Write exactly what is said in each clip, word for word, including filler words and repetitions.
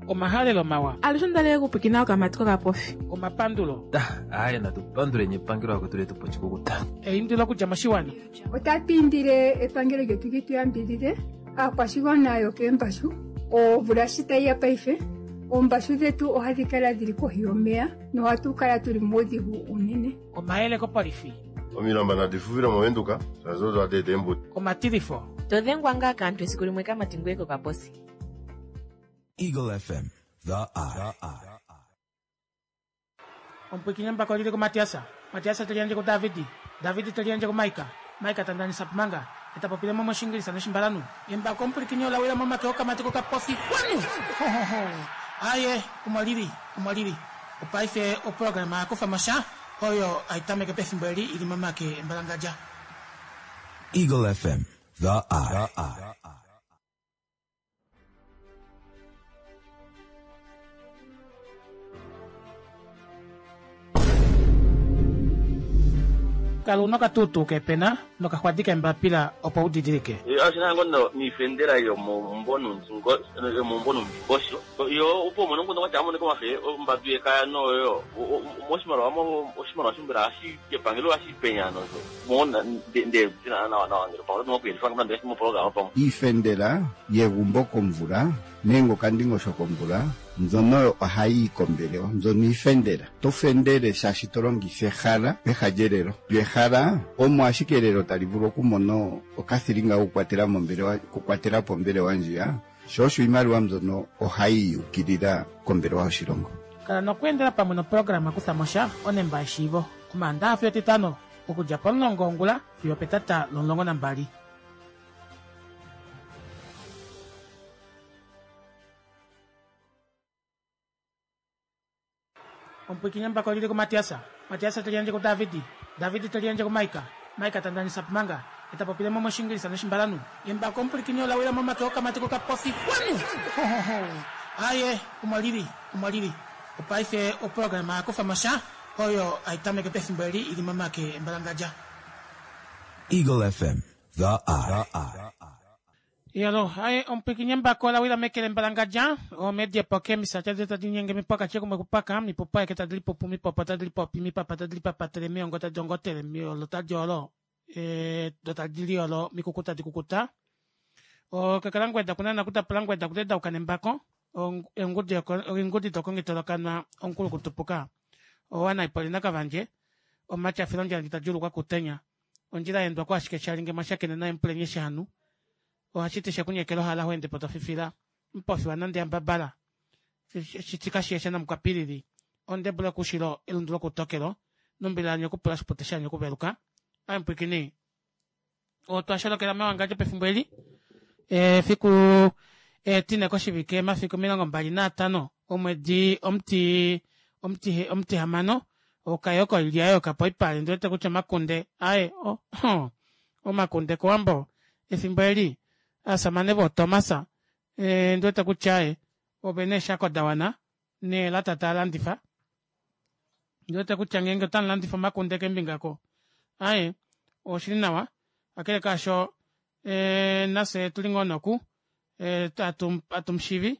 Omahalelo mawa. Alushe ondalele okupwiikina okamati kokapofi. Omapandulo. Aaye natupanduleni epangelo lakwetu letu poshikukuta. Eindilo okudja moshiwana. Otatu indile epangelo lyetu li tu yambidide aakwashigwana yokeembashu omvula shi tayi ya paife oombashu dhetu ohadhi kala dhili kohi yomeya nohatu kala tuli muudhigu unene. Omayele kopolifi. Omilamba nadi fufile movenduka shazo twateeta eembuto. Omatilifo. To dhengwa ngaa kaantu esiku limwe kamati ngoye kokaposi. Eagle F M, The Eye. Omupwikinye mbako lili kuMatiasa. Matiasa teliandje kuDavidi. Davidi teliandje kuMaika. Maika tandanisa pumanga. Etapopile mo moshingilisa noshimbalanu. Embako omupwikinye olawila momake okamati kokapofi. Wanu! Ho ho ho. Aye, omwalili, omwalili. Opaife oprograma yakufa mosha oyo aitameke pefimbo eli ili momake embalangadja. Eagle F M, The Eye. Kalu nokatutu kepena nokaxwadi kembapila opo udidilike. Ashina ngono niifendela yomombonunzingo yomombonumbimbosho yo upo mono ngono wacha amone komafe ombadu yekaya noyo moshimaliwa mo oshimaliwa shimbira ashi kepangelo ashi penyano so mona nde na na na ngelo pa no kuyelifanga mnande mo program pa iifendela yegumbo komvula nenge okandingosho komvula mbyono ohayi kombelewa mbyono iifendela to fendele shaashi to longitha ehala peha lyelelo lyo ehala omo ashike elelo tali vulu okumona okathilinga okukwatela mombelewa okukwatela po ombelewa ndjiya sho osho iimaliwa mbyono ohayi yukilila kombelewa yoshilongo. Kala nokweendela pamwe noprograma kutha mosha onemba yeshiivo omaandaha fiyo etitano okudja pomulongo wongula fiyo petata lomulongo nambali. Omupwikinye mbako lili kuMatiasa. Matiasa teliandje kuDavidi. Davidi teliandje kuMaika. Maika tandanisa pumanga. Etapopile mo moshingilisa noshimbalanu. Embako omupwikinye olawila momake okamati kokapofi. Wanu! Ho ho ho. Aye, omwalili, omwalili. Opaife oprograma yakufa mosha oyo aitameke pefimbo eli ili momake embalangadja. Eagle F M, The Eye. Yalo, aye omupwikinye mbako olawila mekele mbalangadja omedie poke misacha zeta dinyenge mipaka chekumwe kupaka mipupa yeke tadilipupu mipopo tadilipopi mipapa tadilipapatele miongo tadiongotele miolo tadiolo e, dotadiliolo mikuku tadikukuta okakalangweda kunana kutapulangweda kutedauka nembako engudi dokongitolokanwa onkulu kutupuka owana ipolina kavandje omatyafilo ndjala tadjulukwa kutenya ondjila yendwa kwashike shalinge mashakene naye mpulenye shanu ohashiti shekunyekela ohala hoende po tofifila mpofi wanande yambabala shitika shiyesha namukwapilili ondebula kushilo elundu lokutokelo nombila nyokupula shipute shanyo kuveluka ampwikini otwasholokela mewangandjo pefimbo eli efiku etine koshivike mafiku omilongo mbali naatano omwedi omuti omuti omutihamano okayoko ilya okapoipale ndiwete kutya omakunde aye oh, omakunde kowambo efimbo eli asamane votomasa e, ndiwete kutya aye ovene eeshako dawana neelata taalandifa ndiwete kutya ngeenge otamulandifa omakunde kembingako aye oshili nawa akele kaasho e, nafye tuli ngoo noku e, atumushivi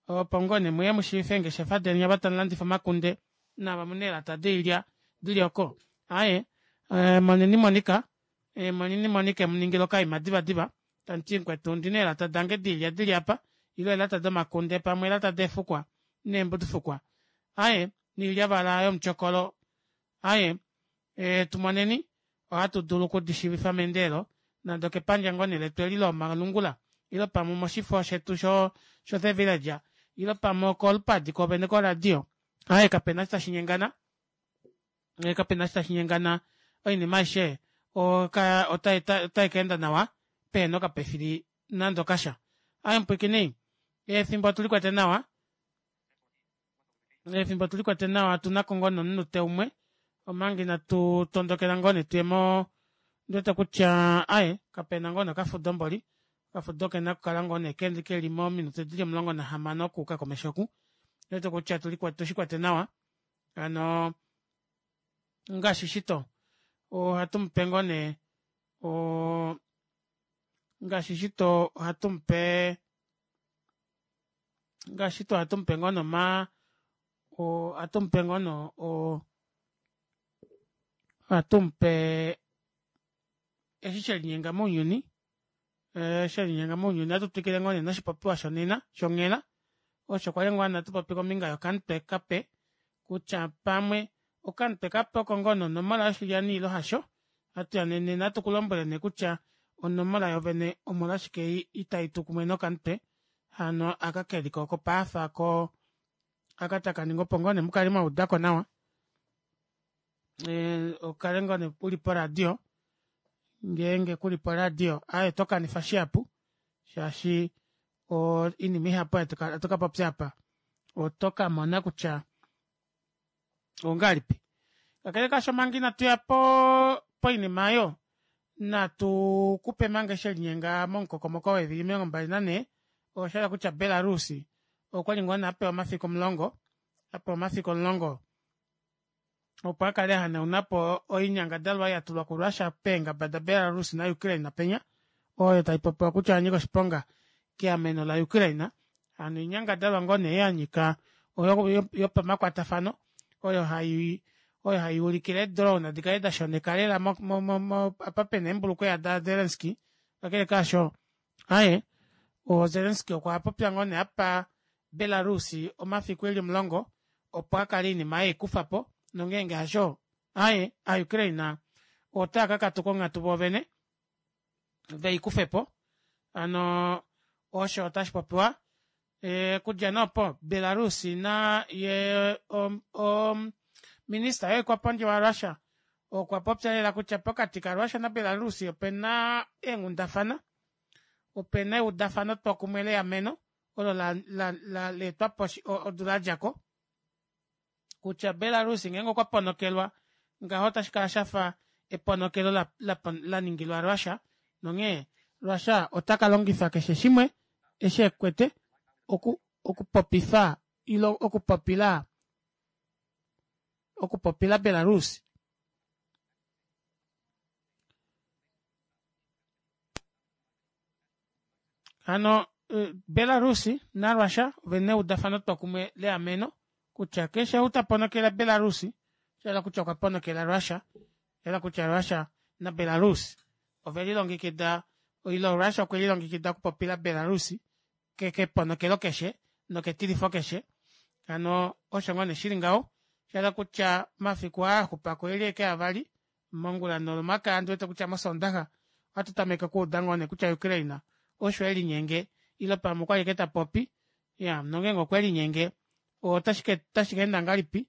opo ngoo ne muye mushiife eengeshefa deni ava tamulandifa omakunde nava muna eelata doilya dili oko aye e, moneni Monika e, moneni Monika emuningile okaima divadiva tamuti mukwetu ndina eelata dange diilya dili apa ile eelata domakunde pamwe eelata deefukwa neembudufukwa aye niilyavala yomutyokolo aye e, tumoneni ohatu dulu okudishiivifa meendelelo nande okepandja ngoo nee letu eli lomalungula ile pamwe moshifo shetu sho sho The Village ile pamwe okolupadi kovene koradio aye kapena shi tashi nyengana kapena shi tashi nyengana oinima aishe otai kaenda nawa pehena okapefili nande okasha. Aye mupwikini efimbo otulikwete nawa efimbo otulikwete nawa tunako ngoo nomunute umwe omanga inatu tondokela ngoo nee tuye mo ndiwete kutya aye kapena ngoo nokafudo mboli okafudo kena okukala ngoo nee keli mominute dili omulongo nahamano okuuka komesho oku ndiwete kutya tushikwete nawa hano ngaashi shito ohatu mupe ngoo nee ngaashi shito ohatu mupe Ngaashi tuu ohatu mupe ngoo nee omaa ohatu mupe ngoo nee oo ohatu mupe eshi shelinyenga mounyuni ee shelinyenga mounyuni ohatu twikile ngoo nee noshipopiwa shonena shonghela osho kwali ngoo nee hatupopi kombinga yokamutwe kape kutya pamwe okamutwe kape oko ngoo nee onomola yoshilyani ile hasho ohatuya nee nena hatukulombwele nee kutya onomola yoovene omolwashike ita itu kumwe nokamutwe hano aka keliko kopaafa koo aka takaningi opo ngoo nee mukale mwaudako nawa ee ukale ngoo nee uli poradio ngeenge kuli poradio aaye otokanifa shihapu shaashi oinima ihapu hatu kapopya aapa oto kamona kutya ongahelipi. Kakele kaasho manga inatuya poo poinima aayo natu kupe manga eshi shelinyenga momukokomoko weevili omilongo mbali nanhee oshahala kutya belarus okwali ngoo nee apewa omafiku omulongo apewa omafiku omulongo opo akale ahanaunapo oinyangadalwa ei yatulwa ku russia peengaba da belarus na ukraine penya oyo taipopiwa kutya oyanyika oshiponga keameno la ukraine hano oinyangadalwa ngoo nee yanyika yopamakwatafano oyo hai oyo hayuulikile ee drone dikale dashoneka lela mo- mo- mo apa pena eembulukweva da zelensky kakele kaasho aaye oo zelensky okwapopya ngoo nee apa belarus omafiku eli omulongo opo akale oinima aayo eikufapo nongenge hasho aaye aa ukraine otaaka kakatuka onghatu voovene veikufepo hano osho tashipopiwa okudja nee opo belarus nayee o minister yoikwapondje wa russia okwa popya lela kutya pokati ka russia na belarus opena eenghundafana opena eudafano twokumwe leameno olo leetwapo odula yadjako kutya belarus ngeenge okwa ponokelwa ngaho ota shikala shafa eponokelo laningilwa russia nonghee russia otaka longifa keshe shimwe eshi ekwete oku okupopifa ile okupopila okupopila belarus. Hano belarus narussia ovena eudafano twokumwe leameno kutya keshe ou taponokele belarus oshahala kutya okwa ponokela russia oshahala kutya russia na belarus ovelilongekida ile russia okwelilongekida okupopila belarus keponokelo keshe noketilifo keshe hano osho ngoo nee shili ngaho oshahala kutya omafiku aa axupako oeli ashike avali mongula nolomakaya ondiwete kutya moshondaxa ohatu tameke okuuda ngoo nee kutya ukraine osho elinyenge ile pamwe okwali ashike tapopi iyaa nongenge okwelinyenge otashi keenda ngahelipi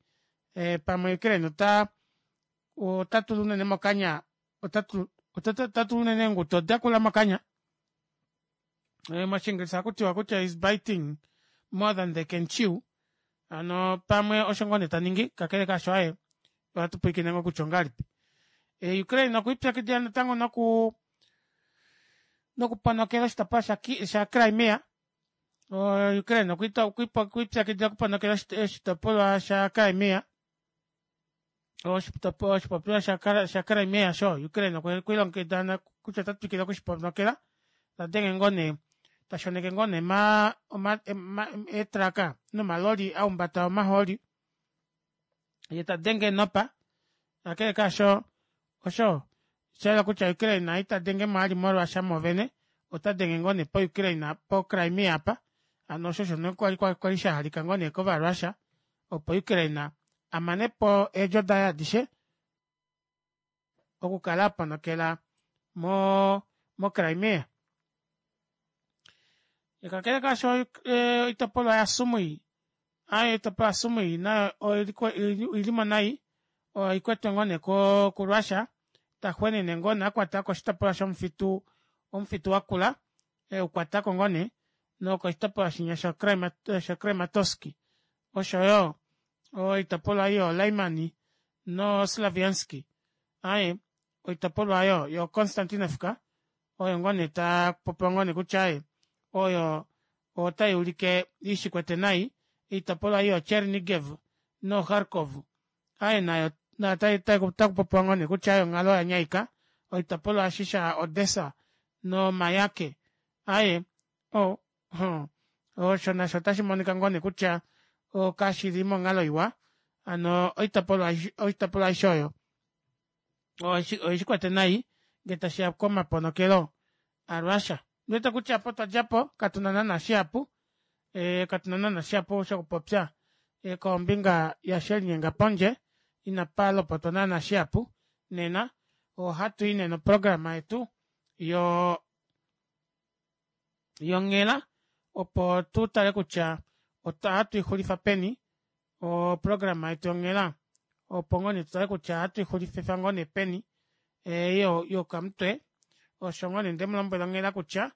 pamwe ukraine ota otatula unene mokanya otatula unene eenguto dakula mokanya moshingilisha ohakutiwa kutya is biting more than they can chew hano pamwe osho ngoo nee taningi kakele kaasho aaye ohatu pwiikine ngoo kutya ongahelipi ukraine okwiipyakidila natango noku nokuponokela oshitopolwa sha crimea ukraine okwiipyakidila okuponokela oshitopolwa sha crimea oshipopiwa sha crimea osho ukraine okwelilongekida kutya otatwikile okushiponokela tadenge ngoo nee tashoneke ngoo nee eetruck nomaloli ahumbata omahooli yee tadenge eenopa kakele kaasho osho oshayela kutya ukraine itadengemo vali mo russia mwoovene otadenge ngoo nee po ukraine po crimea aapa hano osho osho nee kwali shahalika ngoo nee kova russia opo ukraine amanepo eedjo daye adishe okukala aponokela moo mo crimea. Kakele kaasho oitopolwa ya sumui oitopolwa ya sumui nayo oilimo nai oikwetwe ngoo nee ku russia taxwenene ngoo nee akwatako oshitopolwa shomufitu omufitu wakula eukwatako ngoo nee nokoshitopolwa shinya sha krematosky oshoyo oitopolwa ei yoo limany no slavianski aaye oitopolwa aayo yo constantinovka oyo ngoo nee tapopiwa ngoo nee kutya aaye oyo otayuulike ishikwete nai oitopolwa ei yoo chernigev no kharkov aaye nayo otakupopiwa ngoo nee kutya onghalo oyanyaika oitopolwa eshi sha odesa no mayake aaye oo Osho nasho otashi monika ngoo nee kutya kashili monghalo iwa hano oitopolwa oitopolwa aishe oyo oishikwete nai ngee tashiya komaponokelo a russia. Ondiwete kutya opo twadjapo katuna naana shihapu katuna naana shihapu shokupopya kombinga yaasho shelinyenga pondje inapa lopotwa naana shihapu nena ohatui nee noprograma yetu yoo yonghela opo tutale kutya ohatuixulifa peni oprograma yetu yonghela opo ngoo nee tutale kutya ohatuixulifa ngoo nee peni ei yokamutwe osho ngoo nee ndemulombwela onghela kutya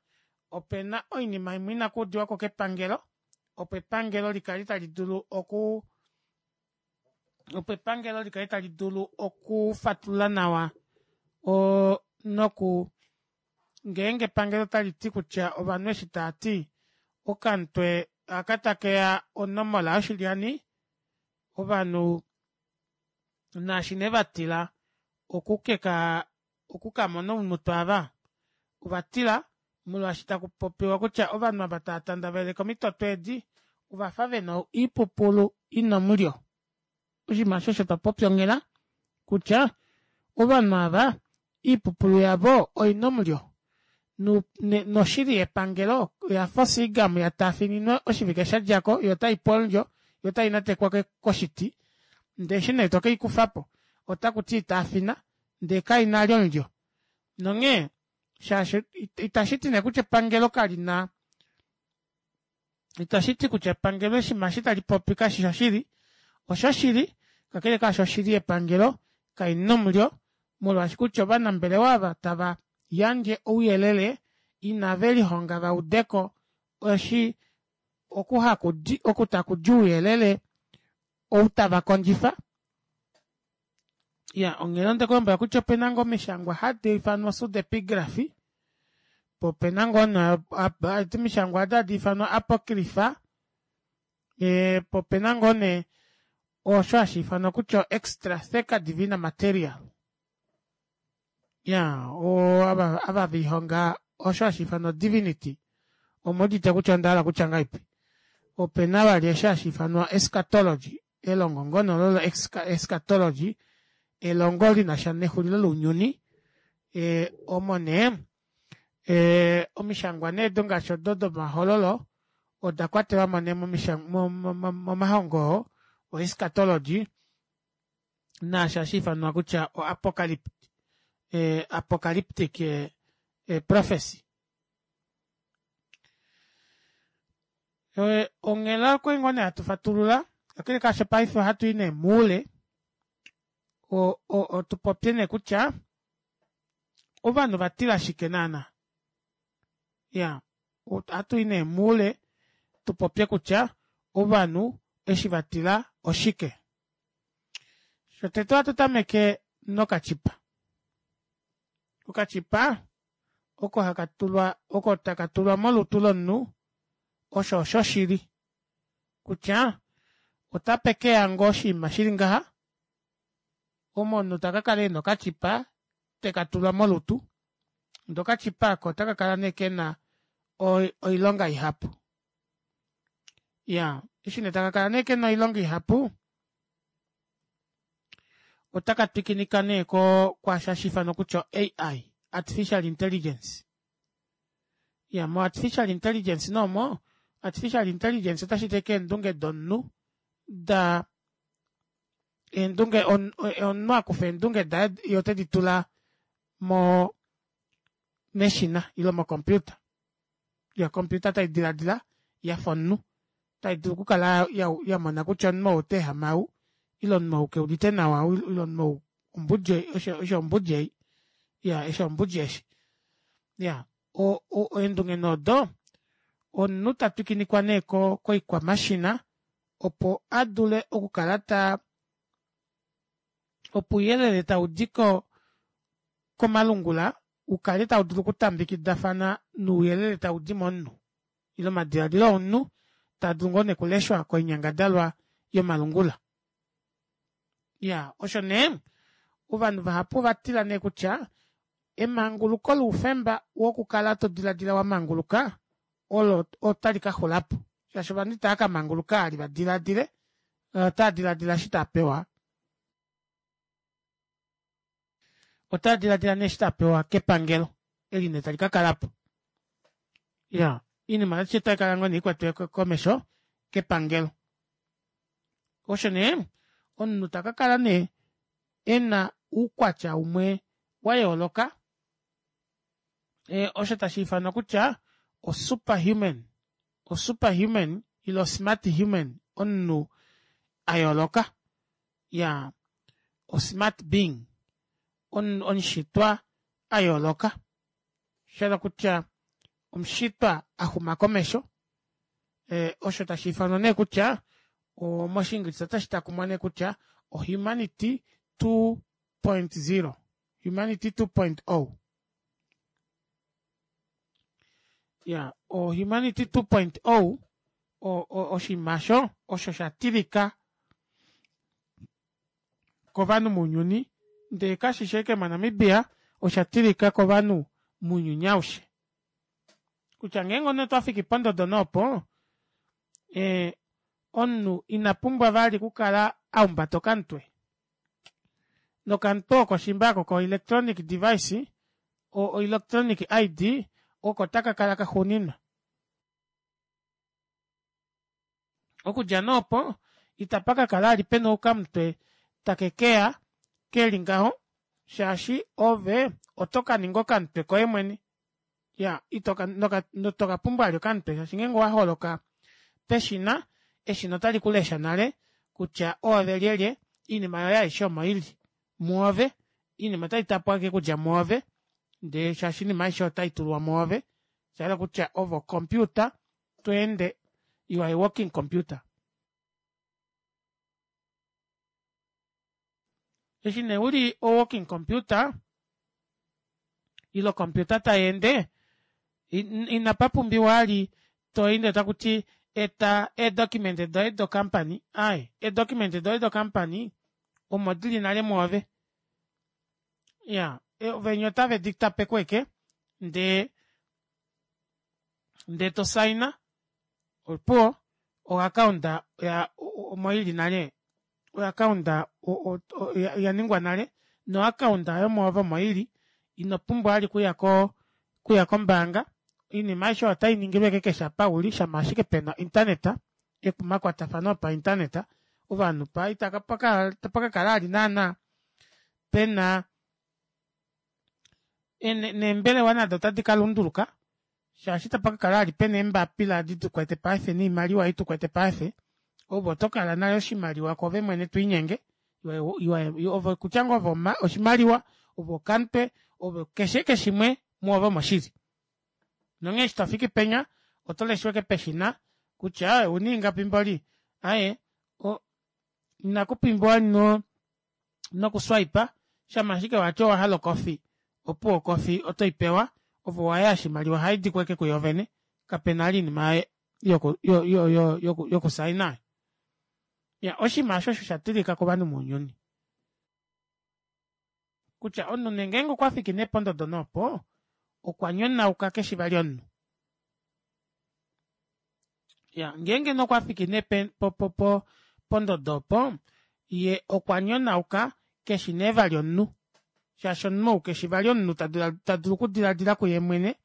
opena oinima imwe ina kuudiwako kepangelo opo epangelo likale tali dulu okuu opo epangelo likale tali dulu okufatulula nawa oo noku ngeenge epangelo otaliti kutya ovanhu eshi taati okamutwe aka takeya onomola yoshilyani ovanhu naashi nee vatila okukekaa okukamona oumutwe aava ovatila molwaashi takupopiwa kutya ovanhu ava tava tandaveleke omitoto eedi ovafa vena oipupulu ina omulyo oshinima aasho osho twapopya onghela kutya ovanhu aava oipupulu yavo oina omulyo noshili yepangelo oyafa osiigamu yataafininwa oshivike shadjako yoo otaipu omulyo yoo otainatekwa koshiti ndee eshi nee tokeikufapo otakuti taafina ndee kaina vali omulyo nonghee shaashi itashiti nee kutya epangelo kalina itashiti kutya epangelo oshinima eshi talipopi kashishi shoshili oshoshili kakele kaasho oshili yepangelo kaina omulyo molwaashi kutya ovanambelewa ava tava yandje ouyelele ina velihonga vaudeko eshi oku hakudi oku takudi ouyelele ou tava kondjifa iyaa onghela ondekulombwela kutya opena ngoo omishangwa hadiifanwa pseudepigraphy poo opena ngoo nee omishangwa odo hadiifanwa apocrypher poo opena ngoo nee osho hashiifanwa kutya o extra theca divina material iyaa ava velihonga osho hashiifanwa o divinity omuudite kutya ondahala okutya ngahelipi opena vali osho hashiifanwa escatology elongo ngoo nee olo lo escatology elongo linasha nexulilo lounyuni omo nee omishangwa nee odo ngaashi odo domahololo oda kwatelwamo nee momahongo oo o escatology naasho hashiifanwa kutya o apocalyptic prophecy. Onghela okwali ngoo nee hatu fatulula kakele kaasho paife ohatui nee moule tupopye nee kutya ovanhu ovatila shike naana iyaa ohatui nee moule tupopye kutya ovanhu eshi vatila oshike shotete ohatu tameke nokachipa okachipa oko hakatulwa oko takatulwa molutu lomunhu osho oshoshili kutya otapekeya ngoo oshiima shili ngaha omo omunhu takakala ena okachipa tekatulwa molutu ndee okachipa aako ota kakala nee kena oilonga ihapu iyaa eshi nee takakala nee kena oilonga ihapu ota katwikinika nee kwaasho hashiifanwa kutya o ai artificial intelligence iyaa mo artificial intelligence nee omo artificial intelligence otashiti ashike eendunge domunhu daa eendunge omunhu akufa eendunge daye yee oteditula moo meshina ile mo computer yoo ocomputer taidilaadila yafa omunhu taidulu okukala yamona kutya omunhu ou otaehama ou ile omunhu ou keudite nawa ile omunhu ou eshi ombudi ei iyaa eshi ombudi eshi iyaa eendunge nee odo omunhu tatwikinikwa nee koikwamashina opo adule okukala taa opo ouyelele taudi komalungula ukale taudulu okutambekidafana nouyelele taudi momunhu ile omadilaadilo omunhu taadulu ngoo nee okuleshwa koinyangadalwa yomalungula iyaa osho nee ovanhu vahapu ovatila nee kutya emanguluko loufemba wokukala todilaadila wamanguluka olo otali kaxulapo Shaashi ovanhu itaakamanguluka ali vadilaadile, otaa dilaadila eshi taapewa, otaa dilaadila nee eshi taapewa kepangelo eli nee tali kakalapo. Iyaa oinima aishe otaikala ngoo nee ikwetiwe komesho kepangelo. Osho nee omunhu takakala nee ena oukwatya umwe wayooloka osho tashiifanwa kutya o super human o super human ile o smart human omunhu ayooloka iyaa o smart being omushitwa ayooloka shahala okutya omushitwa axuma komesho osho tashiifanwa neekutya moshingilisa ota shitakumwa nee kutya o humanity two point zero humanity two point o. Iyaa o humanity two point o oshinima aasho osho shatilika kovanhu mounyuni ndee kashishi ashike mo namibia oshatilika kovanhu mounyuni aushe kutya ngeenge omunhu otwafiki pondodo nee opo ee omunhu inapumbwa vali okukala aumbata okamutwe nokamutwe oko shiimba aako ko electronic device o electronic I_D oko takakala kaxuuninwa okudja nee opo itapakakala vali pena okamutwe takekeya keli ngaho shaashi ove otokaninga okamutwe koye mwene iyaa itokapumbwa vali okamutwe shaashi ngeenge owaholoka peshina eshina otalikulesha nale kutya oove lyelye oinima yoye aishe omo ili mwoove oinima otaitapwa ashike okudja mwoove ndee shaashi oinima aishe otaitulwa mwoove oshahala okutya ove o computer tweende you are a walking computer. Eshi nee uli o walking computer ile o computer tayeende inapapumbiwa vali toende takuti eta ee document doye do company aaye ee document doye do company omo dili nale mwoove iyaa venya otave ditapeko ashike ndee ndee tosaina opuwo o account omoili nale o account oyaningwa nale no account aayo mwoove omo ili inopumbwa vali okuya okuya kombaanga oinima aishe oyo otainingilwa ashike keshe apa uli shama ashike pena o internet omakwatafano opa internet ovanhu itapakakala vali naana pena neembelewa nado ota dikalunduluka shaashi itapakakala vali pena eembapila edi tukwete paife noimaliwa ei tukwete paife ove otokala nale oshimaliwa kwoove mwene twiinyenge ove okutya ngoo ove oshimaliwa ove okamutwe ove keshe ashike shimwe mwoove omo shili nonghee eshi tofiki penya otoleshwa ashike peshina kutya ouna ingapi mboli aaye inakupumbiwa vali noku swiper shama ashike wati owahala o coffee opuwo o coffee otoipewa ove owaya oshimaliwa ohaidiko ashike kuyoovene kapena vali oinima yoku yo- yo yokusaina. Iyaa oshinima aasho osho shatilika kovanhu mounyuni kutya omunhu nee ngenge okwafiki nee pondodo nee opo okwanyonauka keshi vali omunhu. Iyaa ngeenge nee okwafiki nee po- po pondodo opo yee okwanyonauka keshi nee vali omunhu shaashi omunhu ou keshi vali omunhu tadulu okudilaadila kuyeemwene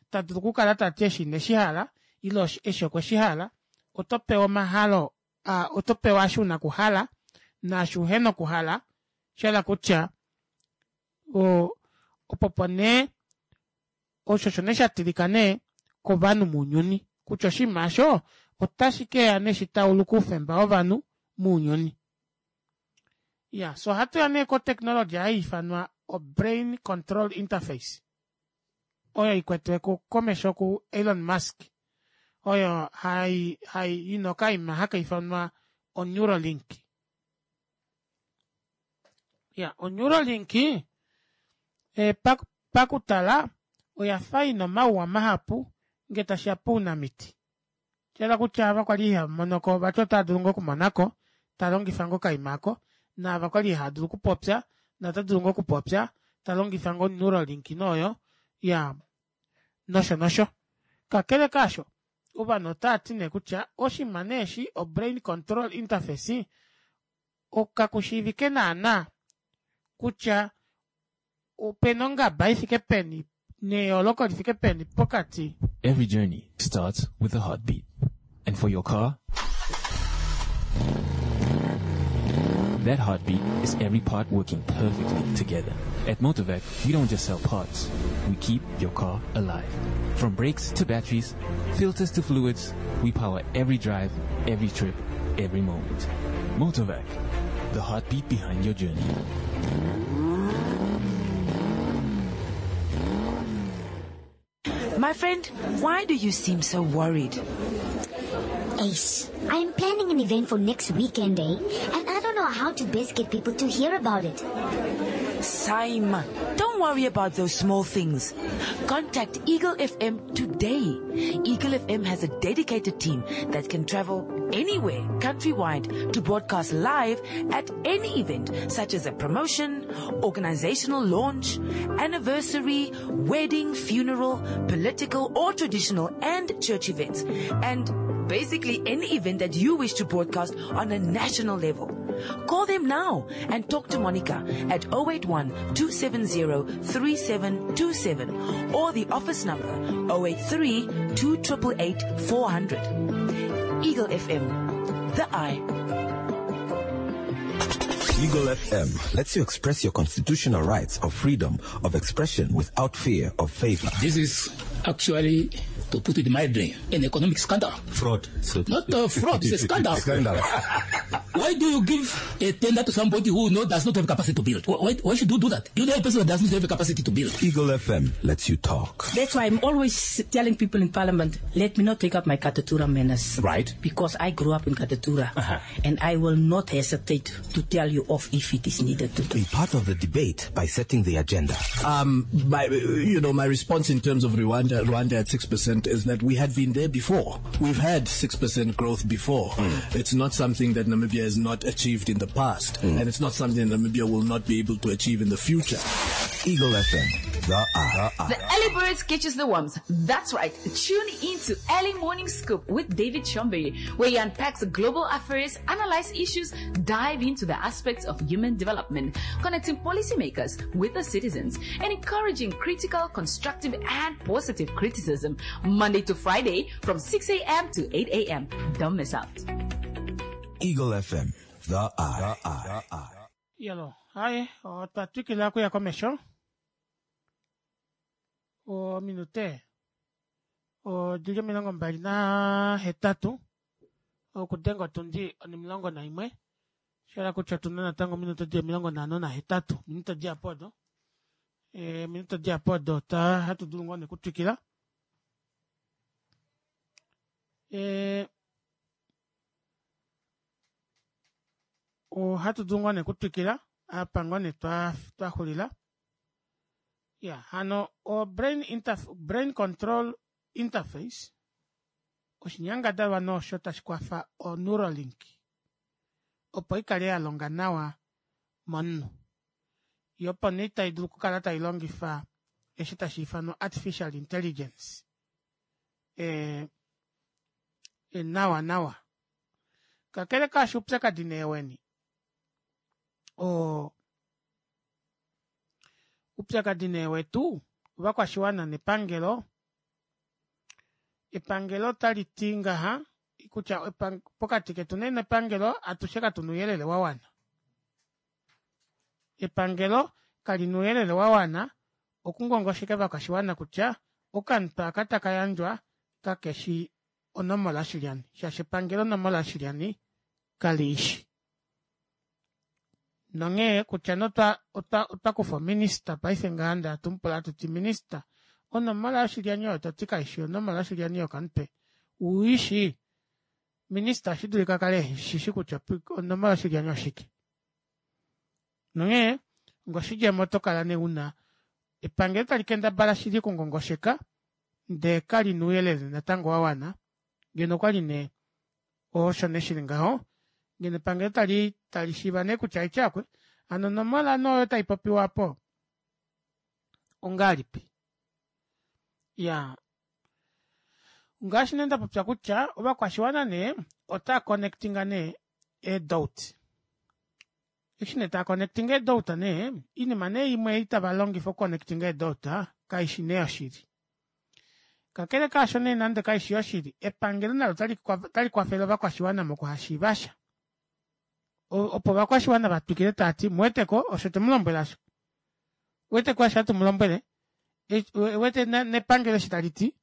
tadulu okukala tati eshi ineshihala ile eshi okweshihala otopewa omahalo otopewa osho una okuhala naasho uhena okuhala oshahala kutya oo opo opo nee osho osho nee shatilika nee kovanhu mounyuni kutya oshinima aasho otashikeya nee shitauluke oufemba wovanhu mounyuni. Iyaa fyee ohatuya nee ko technology haiifanwa o brain control interface oyo ikwetiwe komesho ku elon musk oyo hai hai ina okaima hakaifanwa o neuralink. Iyaa o neuralink pakutala oyafa ina omauwa mahapu ngee tashiya pounamiti oshahala kutya ava kwali ihavamonoko vati otaadulu ngoo okumonako talongifa ngoo okaima aako naava kwali ihaadulu okupopya notadulu ngoo okupopya talongifa ngoo o neuralink nee oyo iyaa nosho nosho kakele kaasho Ovanhu otaati nee kutya oshinima nee eshi o brain control interface kakushiivike naana kutya opena ongaba ifike peni neyooloko lifike peni pokati. Every journey starts with a heartbeat. And for your car, that heartbeat is every part working perfectly together. At Motorvac, we don't just sell parts. We keep your car alive. From brakes to batteries, filters to fluids, we power every drive, every trip, every moment. Motorvac, the heartbeat behind your journey. My friend, why do you seem so worried? Ace, I am planning an event for next weekend, eh? And I don't know how to best get people to hear about it. Saima, don't worry about those small things. Contact Eagle F M today. Eagle F M has a dedicated team that can travel anywhere countrywide to broadcast live at any event, such as a promotion, organizational launch, anniversary, wedding, funeral, political or traditional and church events, and basically any event that you wish to broadcast on a national level. Call them now and talk to Monica at oh eight one, two seven zero, three seven two seven or the office number oh eight three, two triple eight, four hundred. Eagle F M, the eye. Eagle F M lets you express your constitutional rights of freedom of expression without fear of favor. This is actually, to put it mildly, an economic scandal. Fraud. So Not a fraud, it's a scandal. Scandal. Why do you give a tender to somebody who no, does not have capacity to build? Why, why should you do that? You know a person who does not have the capacity to build. Eagle F M lets you talk. That's why I'm always telling people in Parliament, let me not take up my Katutura manners. Right. Because I grew up in Katutura. Uh-huh. And I will not hesitate to tell you off if it is needed to do. Be part of the debate by setting the agenda. Um, my, you know, my response in terms of Rwanda, Rwanda at six percent is that we had been there before. We've had six percent growth before. Mm. It's not something that Namibia has not achieved in the past, mm. and it's not something that Namibia will not be able to achieve in the future. Eagle F M, the eye. The early birds catches the worms. That's right. Tune in to Early Morning Scoop with David Chombery, where he unpacks global affairs, analyzes issues, dive into the aspects of human development, connecting policymakers with the citizens, and encouraging critical, constructive, and positive criticism. Monday to Friday from six A M to eight A M. Don't miss out. Eagle F M, the eye. The eye. Yalo, haye, otwa twikila okuya komesho. Ominute odili omilongo mbali na hetatu okudenga otundi omilongo naimwe. Shela kutya otuna natango ominute di omilongo nhano na hetatu. Minute di apo odo. E, minute di apo odo ta hatu dulu ngoo nekutwikila. E, ohatu dulu ngoo nekutwikila apa ngoo ne twa twaxulila. Ya, hano o brain interf brain control interface oshinyangadalwa nosho tashi kwafa o Neuralink opo ikale ya longa nawa momunhu. Yo opo nee tai dulu okukala tai longifa eshi tashi ifanwa artificial intelligence e, e nawa nawa. Kakele kashi upyakadi nee weni o upyakadi nee wetu ovakwashiwana nepangelo. Epangelo tali ti ngaha kutya pokati ketu nee nepangelo atushe katuna ouyelele wa wana. Epangelo kalina ouyelele wa wana okungongosheka ovakwashiwana kutya okantu aka taka yandjwa kakeshi onomola shilyani, shaashi epangelo onomola shilyani kaliishi. Nonghee kutya notwa otwa kufa ominista paife ngaha nda atumpula atuti minista onomola yoshilyani oyo toti kaishi onomola yoshilyani yokamutwe uishi. Minista oshi dulika kale shishi kutya onomola yoshilyani oshike. Nonghee ngoshidjemo oto kala nee una epangelo tali kendabala shili okungongosheka ndee kalina ouyelele natango wa wana. Ngeno okwali nee osho nee shili ngaho, ngeno epangelo tali tali shiiva nee kutya ityakwe hano onomola noyo taipopiwa po ongalipi. Ya, Ngaashi nee ndapopya kutya ovakwashiwana nee otaa connectinga nee eedouti. Eshi nee taa connectinga eedouta nee oinima nee imwe ei tava longifa okuconnectinga eedouta kaishi nee yoshili. Kakele kaasho nee nande kaishi yoshili epangelo nalo otali kwafele ovakwashiwana mokuhashiivasha opo ovakwashiwana vatwikile taati muweteko osho twemulombwela aasho ouweteko eshi hatu mulombwele ouwete nepangelo eshi taliti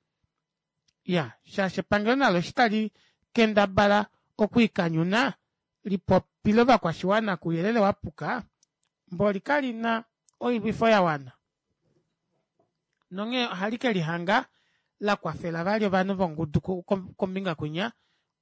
iyaa shaashi epangelo nalo eshi tali kendabala okwiikanyuna lipopile ovakwashiwana kouyelele wapuka mboli kalina oilwifo yawana nonghee ohali kelihanga lakwafela vali ovanhu vongudu kombinga kwinya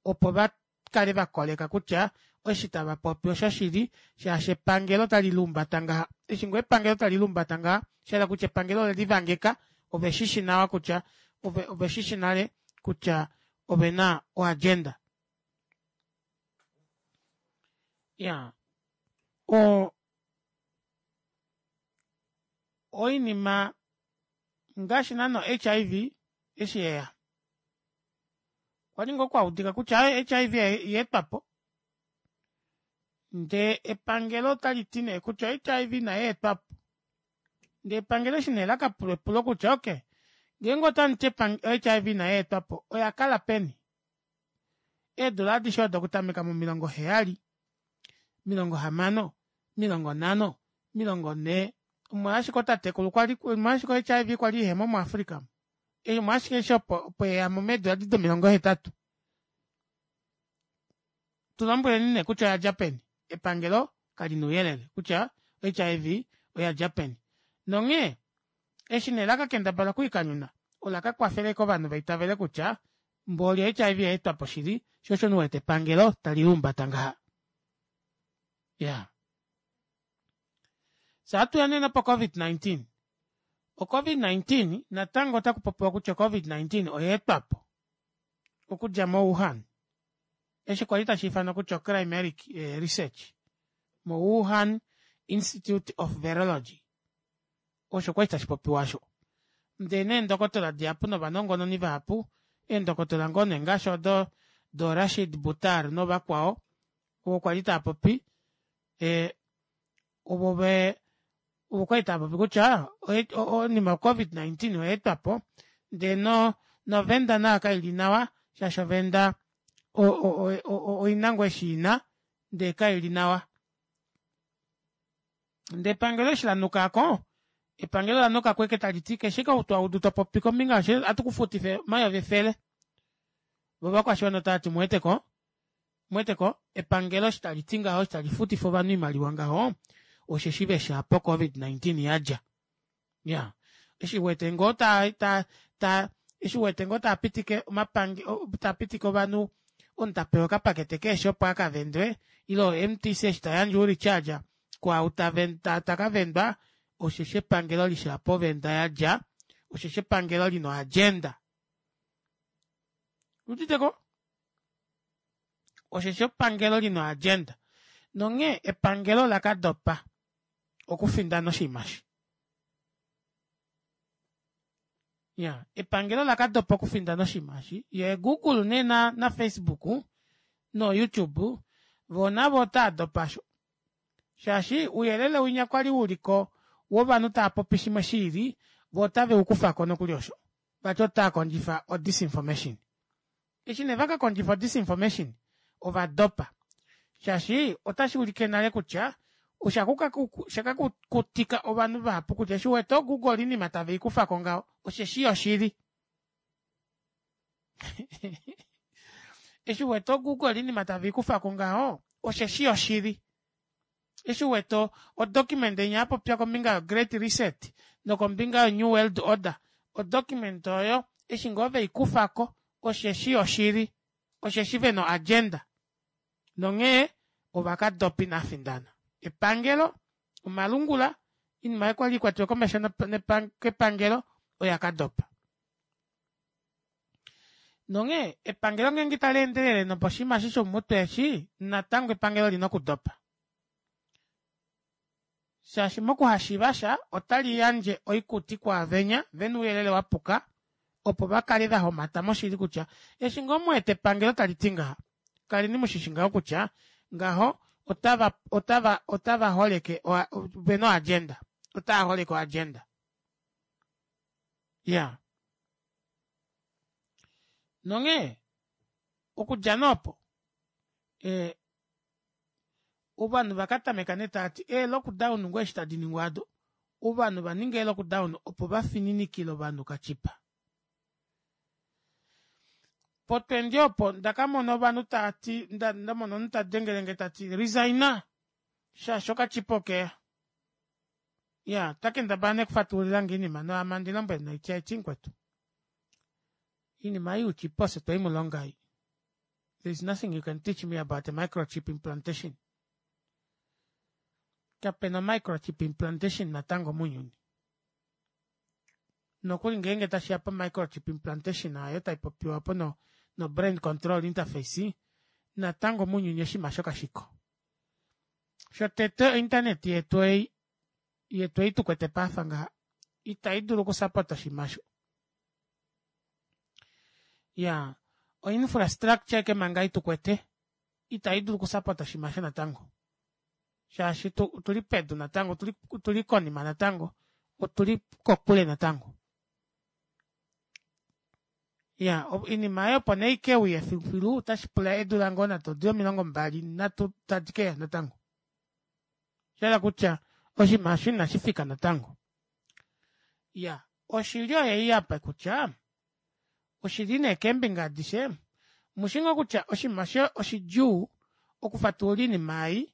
opo vakale vakoleka kutya eshi tavapopi oshoshili shaashi epangelo otali luumbata ngaha eshi ngoo epangelo tali luumbata ngaha oshahala kutya epangelo olelivangeka oveshishi nawa kutya oveshishi nale kutya ovena o agenda. Iyaa oo oinima ngaashi naana o H I V eshi yeya okwali ngoo kwaudika kutya aaye H I V oyaetwapo ndee epangelo otaliti nee kutya o H I V inayeetwapo ndee epangelo eshi nee lakapulwa epulo kutya okey ngeenge otamuti o H I V inayeetwapo oyakala peni eedula adishe odo okutameka momilongo heyali omilongo hamano omilongo nhano omilongo nhee omo ashike ootatekulu kwali omo ashike o H I V kwali ihemo mu africa omu omo ashike eshi opo yeyamo meedula edi domilongo hetatu tulombweleni nee kutya oyadja peni epangelo kalina ouyelele kutya o H I V oyadja peni nonghee eshi nee lakakendabala okwiikanyuna ola kakwafela ashike ovanhu vaitavele kutya mboli o H I V oyaetwapo shili shoo osho nee uwete epangelo tali luumbata ngaha iyaa fyee ohatuya nee nopo covid nineteen o covid nineteen natango otakupopiwa kutya o covid nineteen oyaetwapo okudja mo wuhan eshi kwali tashiifanwa kutya o climeric research mo wuhan institute of virology osho kwali tashipopiwa aasho ndee nee eendokotola dihapu novanongononi vahapu eendokotola ngoo nee ngaashi odo doo rashid buttar novakwao ovo kwali taapopi ee ovo vee ovo kwali taapopi kutya oinima yo covid nineteen oyaetwapo ndee novenda nayo kaili nawa shaashi ovenda oina ngoo eshi ina ndee kaili nawa ndee epangelo eshi lanuka aako epangelo olanukako ashike taliti keshe ashike ou twaudu topopi kombinga yasho ohatu kufutifa omayovi efele voo ovakwashiwana otavati omuweteko omuweteko epangelo eshi taliti ngaho eshi talifutifa ovanhu oimaliwa ngaho osheshi veshi apa o covid nineteen yadja iyaa eshi uwete ngoo ta ta ta eshi uwete ngoo taapitike omapangelo taapitike ovanhu omunhu tapewa okapakete keeshi opo akavendwe ile o M T C eshi tayandje ourecharge kwaau takavendwa osheshi epangelo lishi apa ovenda yadja osheshi epangelo lina o agenda owuuditeko osheshi epangelo lina o agenda nonghee epangelo olakadopa okufindana oshinima eshi iya epangelo olakadopa okufindana oshinima eshi yee google nee na facebook no youtube voo navo otaadopa aasho shaashi ouyelele winya kwali uliko wovanhu taapopi shimwe shiili voo otave ukufako nokuli osho vati otaakondjifa o disinformation eshi nee vakakondjifa o disinformation ovadopa shaashi otashuulike nale kutya oshakakutika ovanhu vahapu kutya eshi uwete oo google oinima taveikufako ngaho osheshi yoshili eshi uwete oo google oinima taveikufako ngaho osheshi yoshili eshi uwete o document inya yapopya kombinga yo great reset nokombinga yo new world order o document oyo eshi ngoo veikufako osheshi yoshili osheshi vena o agenda nonghee ovakadopa inavafindana epangelo omalungula oinima aayo kwali ikwatelwe komesho kepangelo oya kadopa nonghee epangelo ngeenge italeendelele noposhinima eshi shomutwe eshi natango epangelo olina okudopa shaashi mokuhashiivasha otali yandje oikuti kwaavenya vena ouyelele wapuka Opo va kale va homata moshili kutya eshi ngoo mu wete epangelo tali ti ngaha, kaleni mushishi ngaho kutya ngaho otava otava otava holeke vena oagenda. Otava holeke oagenda. Iyaa. Nonghee okudja nee opo ee ovanhu vakatameka nee taati ee lockdown ngoo eshi tadi ningwa aado ovanhu vaninga ee lockdown opo vafininikile ovanhu okachipa. Po twenty opo ndakamona ovanhu taati ndamona omunhu tadengelenge tati resigna shaashi okachipa okeya. Iyaa otakendabala nee okufatululilange oinima ame handi lombwele nee haiti mukwetu oinima ei youchipa ofye tweimulonga ei. There is nothing you can teach me about a microchip implantation. Kapena microchip implantation natango mounyuni. Nokuli ngeenge tashiya po microchip implantation aayo taipopiwa opo no no brain control interface natango mounyuni oshinima aasho kashiko. Shotete o internet yetu ei yetu ei tukwete paife ngaha ita idulu oku support oshinima aasho. Iyaa o infrastructure ashike manga ei tukwete ita idulu oku support oshinima aasho natango shaashi otuli pedu natango otuli konima natango otuli kokule natango. Iyaa oinima aayo opo nee ikeuye filufilu otashipula eedula ngoo nande odi omilongo mbali nhatu tadi keya natango. Oshahala kutya oshinima aasho inashifika natango. Iyaa oshili oyeyi apa kutya oshili nee keembinga adishe omushi ngoo kutya oshinima osho oshidjuu okufatulula oinima ei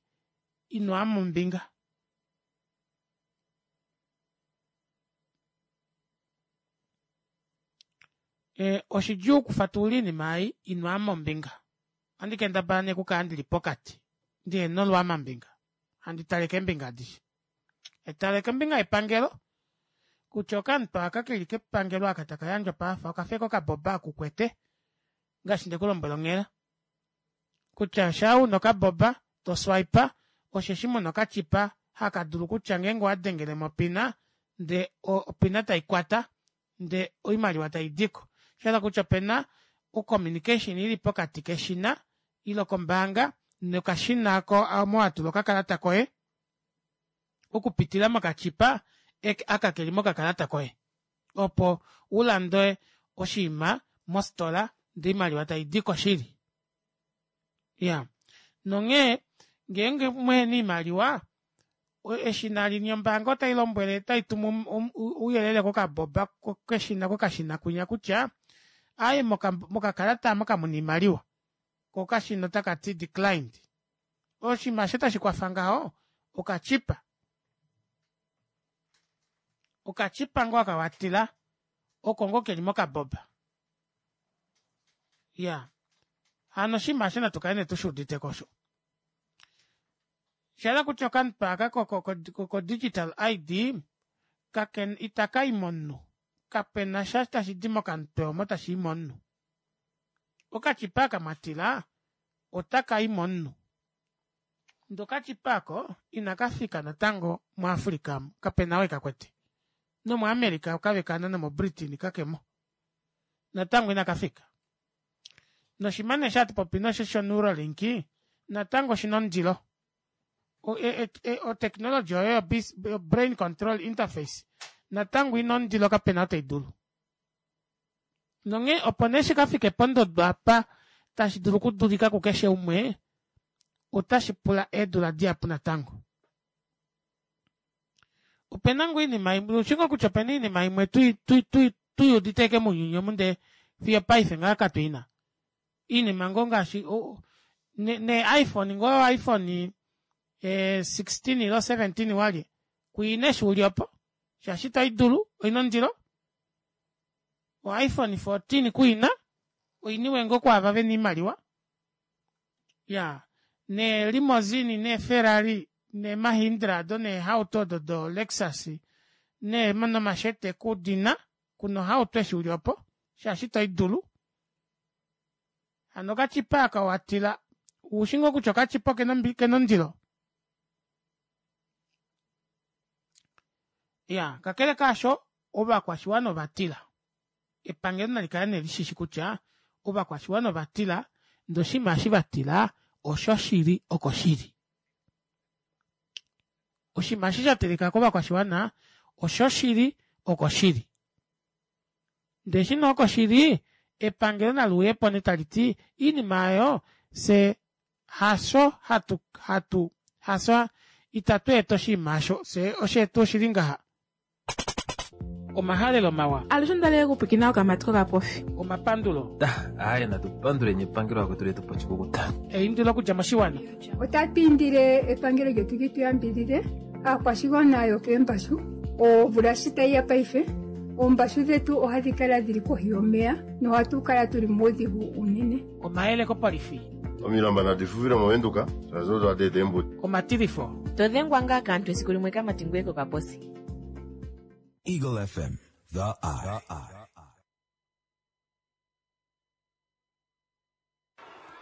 inoama ombinga. Oshidjuu okufatulula oinima ei inoama ombinga. Ohandi kendabala nee okukala ndili pokati ndihena olwaamambinga handi tale keembinga adishe. Haitale kombinga yepangelo kutya okamutwe aaka keli kepangelo aka takayandjwa paife okafa ashike okaboba oko ukwete ngaashi ndekulombwela onghela kutya shaa una okaboba to swipe osheshi muna okachipa haka dulu kutya ngeenge owadengelemo opina ndee opina taikwata ndee oimaliwa taidiko. Oshahala kutya opena o communication ili pokati keshina ile kombaanga nokashina aako omo watula okakalata koye okupitila mokachipa aka keli mokakalata koye opo ulande oshiima mofitola ndee oimaliwa taidiko shili. Iyaa nonghee ngeenge muhena oimaliwa eshina linya ombaanga otailombwele otaitumu ouyelele kokaboba keshina kokashina kwinya kutya aaye mokakalata aamo kamuna oimaliwa koo okashina otakati declined. Oshinima aasho tashikwafa ngaho okachipa. Okachipa ngoo aka watila oko ngoo keli mokaboba. Iyaa hano oshinima aasho natu kale nee tushuuditeko osho. Oshahala kutya okamutwe aaka ko digital I_D itakayi momunhu kapenasha tashidi mokamutwe omo tashii momunhu. Okachipa aka mwatila otakayi momunhu ndee okachipa aako inakafika natango mu africa amu kapena ou ekakwete nomu america kavekana nomo britain kakemo natango inakafika. Noshinima nee eshi hatupopi osho sho neuralink natango oshina ondilo. O technology oyo yo brain control interface natango oina ondilo kapena ou teidulu. Nonghee opo nee shikafike pondodo apa tashi dulu okudulika kukeshe umwe otashi pula eedula dihapu natango. Opena ngoo oinima imwe oushi ngoo kutya opena oinima imwe tui tui tuyuudite ashike mounyuni omu ndee fiyo opaife ngaha katuina. Oinima ngoo ngaashi nee iphone ngoo iphone sixteen ile seventeen walye kuina eshi uli opo shaashi itoidulu oina ondilo. O iphone fourteen kuina oiniwe ngoo kwaava vena oimaliwa. Iyaa nee limousine nee ferrari nee mahindra aado neehauto odo do lexus nomashete kudina kuna ohauto eshi uli opo shaashi itoidulu. Hano okachipa aaka watila oushi ngoo kutya okachipa okena ondilo? Iyaa kakele kaasho ovakwashiwana ovatila Epangelo nali kale nee lishishi kutya ovakwashiwana ovatila ndee oshinima eshi vatila osho shili oko shili. Oshinima eshi shatilika kovakwashiwana osho shili oko shili. Ndee eshi nee oko shili epangelo naluuyepo nee taliti oinima aayo fyee hasho hatu hatu hasho ita tweeta oshinima aasho fyee oshetu oshili ngaha. Omahalelo mawa. Alushe ondali okupwiikina okamati kokapofi. Omapandulo. Aaye natu panduleni epangelo lakwetu letupa oshikukuta. Eindilo okudja moshiwana. Otatu indile epangelo lyetu li tu yambidhidhe aakwashigwana yokeembashu omvula shi tayi ya paife oombashu dhetu ohadhi kala dhili kohi yomeya nohatu kala tuli muudhigu unene. Omayele kopolifi. Omilamba nadi fufile movenduka shaashi odo hadi eta eembudi. Omatilifo. Todhengwa ngaa kaantu esiku limwe kamati ngweye kokaposi. Eagle F M, the eye.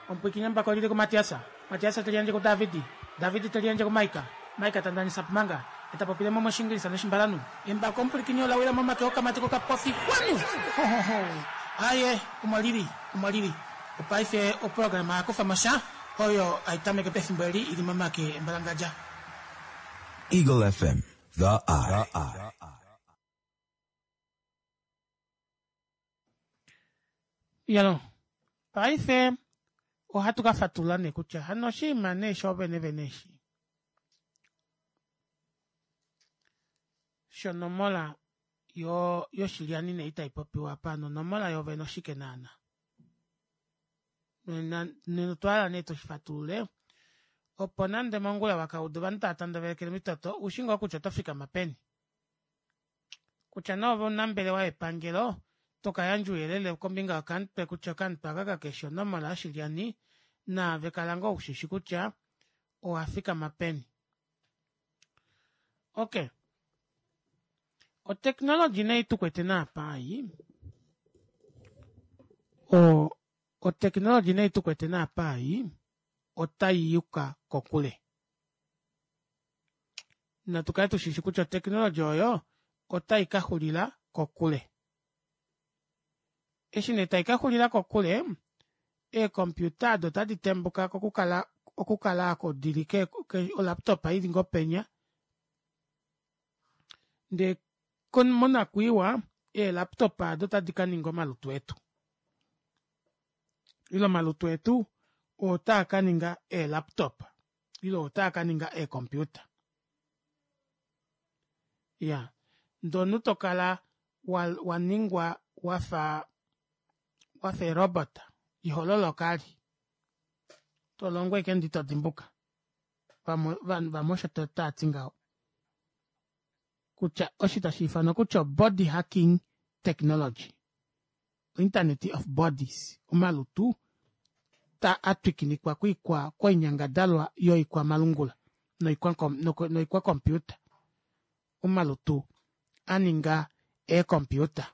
Omupwiikini mbako lili kuMatiasa, Matiasa teli yandje kuDavidi, Davidi teli yandje kuMaika, Maika tandanisa pumanga, eta popile mo moshingilisa noshimbalanu. Embako omupwiikini ola wila momake okamati kokapofi kwanu! Hohoho! Aye, omo lili, omo lili. Opaife oprograma yakufa mosha oyo aitameke pefimbo eli ili momake embalangadja. Eagle F M, the eye. Yalo, paife ohatu ka fatulula nee kutya hano oshinima nee shoovene vene eshi shonomola yo yoshilyani nee itaipopiwa apa nonomola yoovene oshike naana. Nena otwa hala nee tushifatulule opo nande mongula wakauda ovanhu tava tandavelekele mitoto ushi ngoo kutya oto fikama peni. Kutya nee ove omunambelewa yepangelo tokayandja ouyelele kombinga yokamutwe kutya okamutwe aka kakeshi onomola yoshilyani naave kala ngoo ushishi kutya owafikama peni. Okay. Otechnology nee tukwete naapa ei o otechnology nee tukwete naapa ei otaiyuka kokule. Natukale tushishi kutya otechnology oyo otai kaxulila kokule. Eshi nee taikaxulila kokule eecomputer ado otadi tembuka kokukala okukala oko dili ke, ke olaptop ili ngoo penya ndee monakwiiwa eelaptop ado otadi kaninga omalutu etu. Ile omalutu etu otaa kaninga eelaptop ile otaa kaninga eecomputer. Iya, ndee omunhu tokala waningwa wafa wafa erobot ihololoka ali tolongo ashike ndee itodimbuka. Vamwe vamwe osho taati ngaho kutya osho tashiifanwa kutya body hacking technology, internet of bodies, omalutu ta atwikinikwa koikwa koinyangadalwa yoikwamalungula noikwa computer, omalutu aninga eecomputer.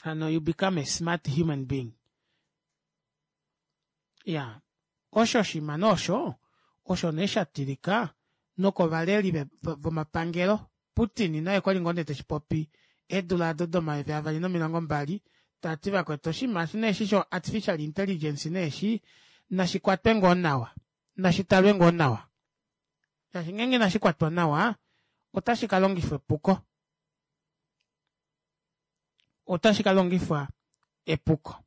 Hano you become a smart human being. Ya, osho oshinima nee osho osho nee shatilika nokovaleli vomapangelo. Putin naye okwali ngoo nee teshipopi eedula aado domayovi avali nomilongo mbali tati vakwetu oshinima eshi nee eshi sho artificial intelligence nee eshi nashikwatwe ngoo nawa nashitalwe ngoo nawa shaashi ngeenge inashikwatwa nawa otashi kalongifwa epuko. Otashi kalongifwa epuko.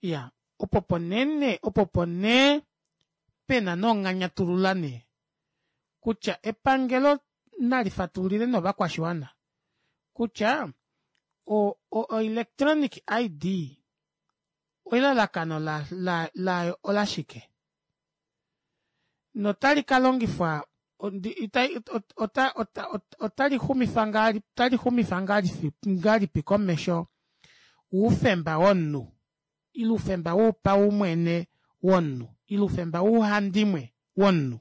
Iya, opo ponene opo ponee pena nonganyatulula nee kutya epangelo nalifatululile novakwashiwana kutya o, o electronic I D elalakano layo la, la olashike notali kalongifwa ota ota otali xumifa otali xumifa ngahelipi komesho oufemba womunhu ile oufemba wopaumwene womunhu ile oufemba wouhandimwe womunhu.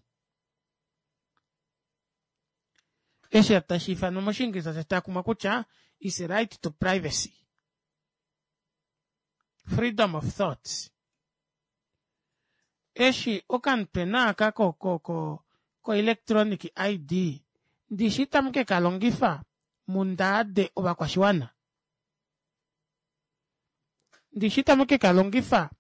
Eshi tashiifanwa moshiingilisa tashi kutya is a right to privacy, freedom of thoughts. Eshi okamutwe naaka ko ko ko ko electronic I D ndishi itamu ke kalongifa Mundaade ovakwashiwana. Ndishi tamu ke kalongifa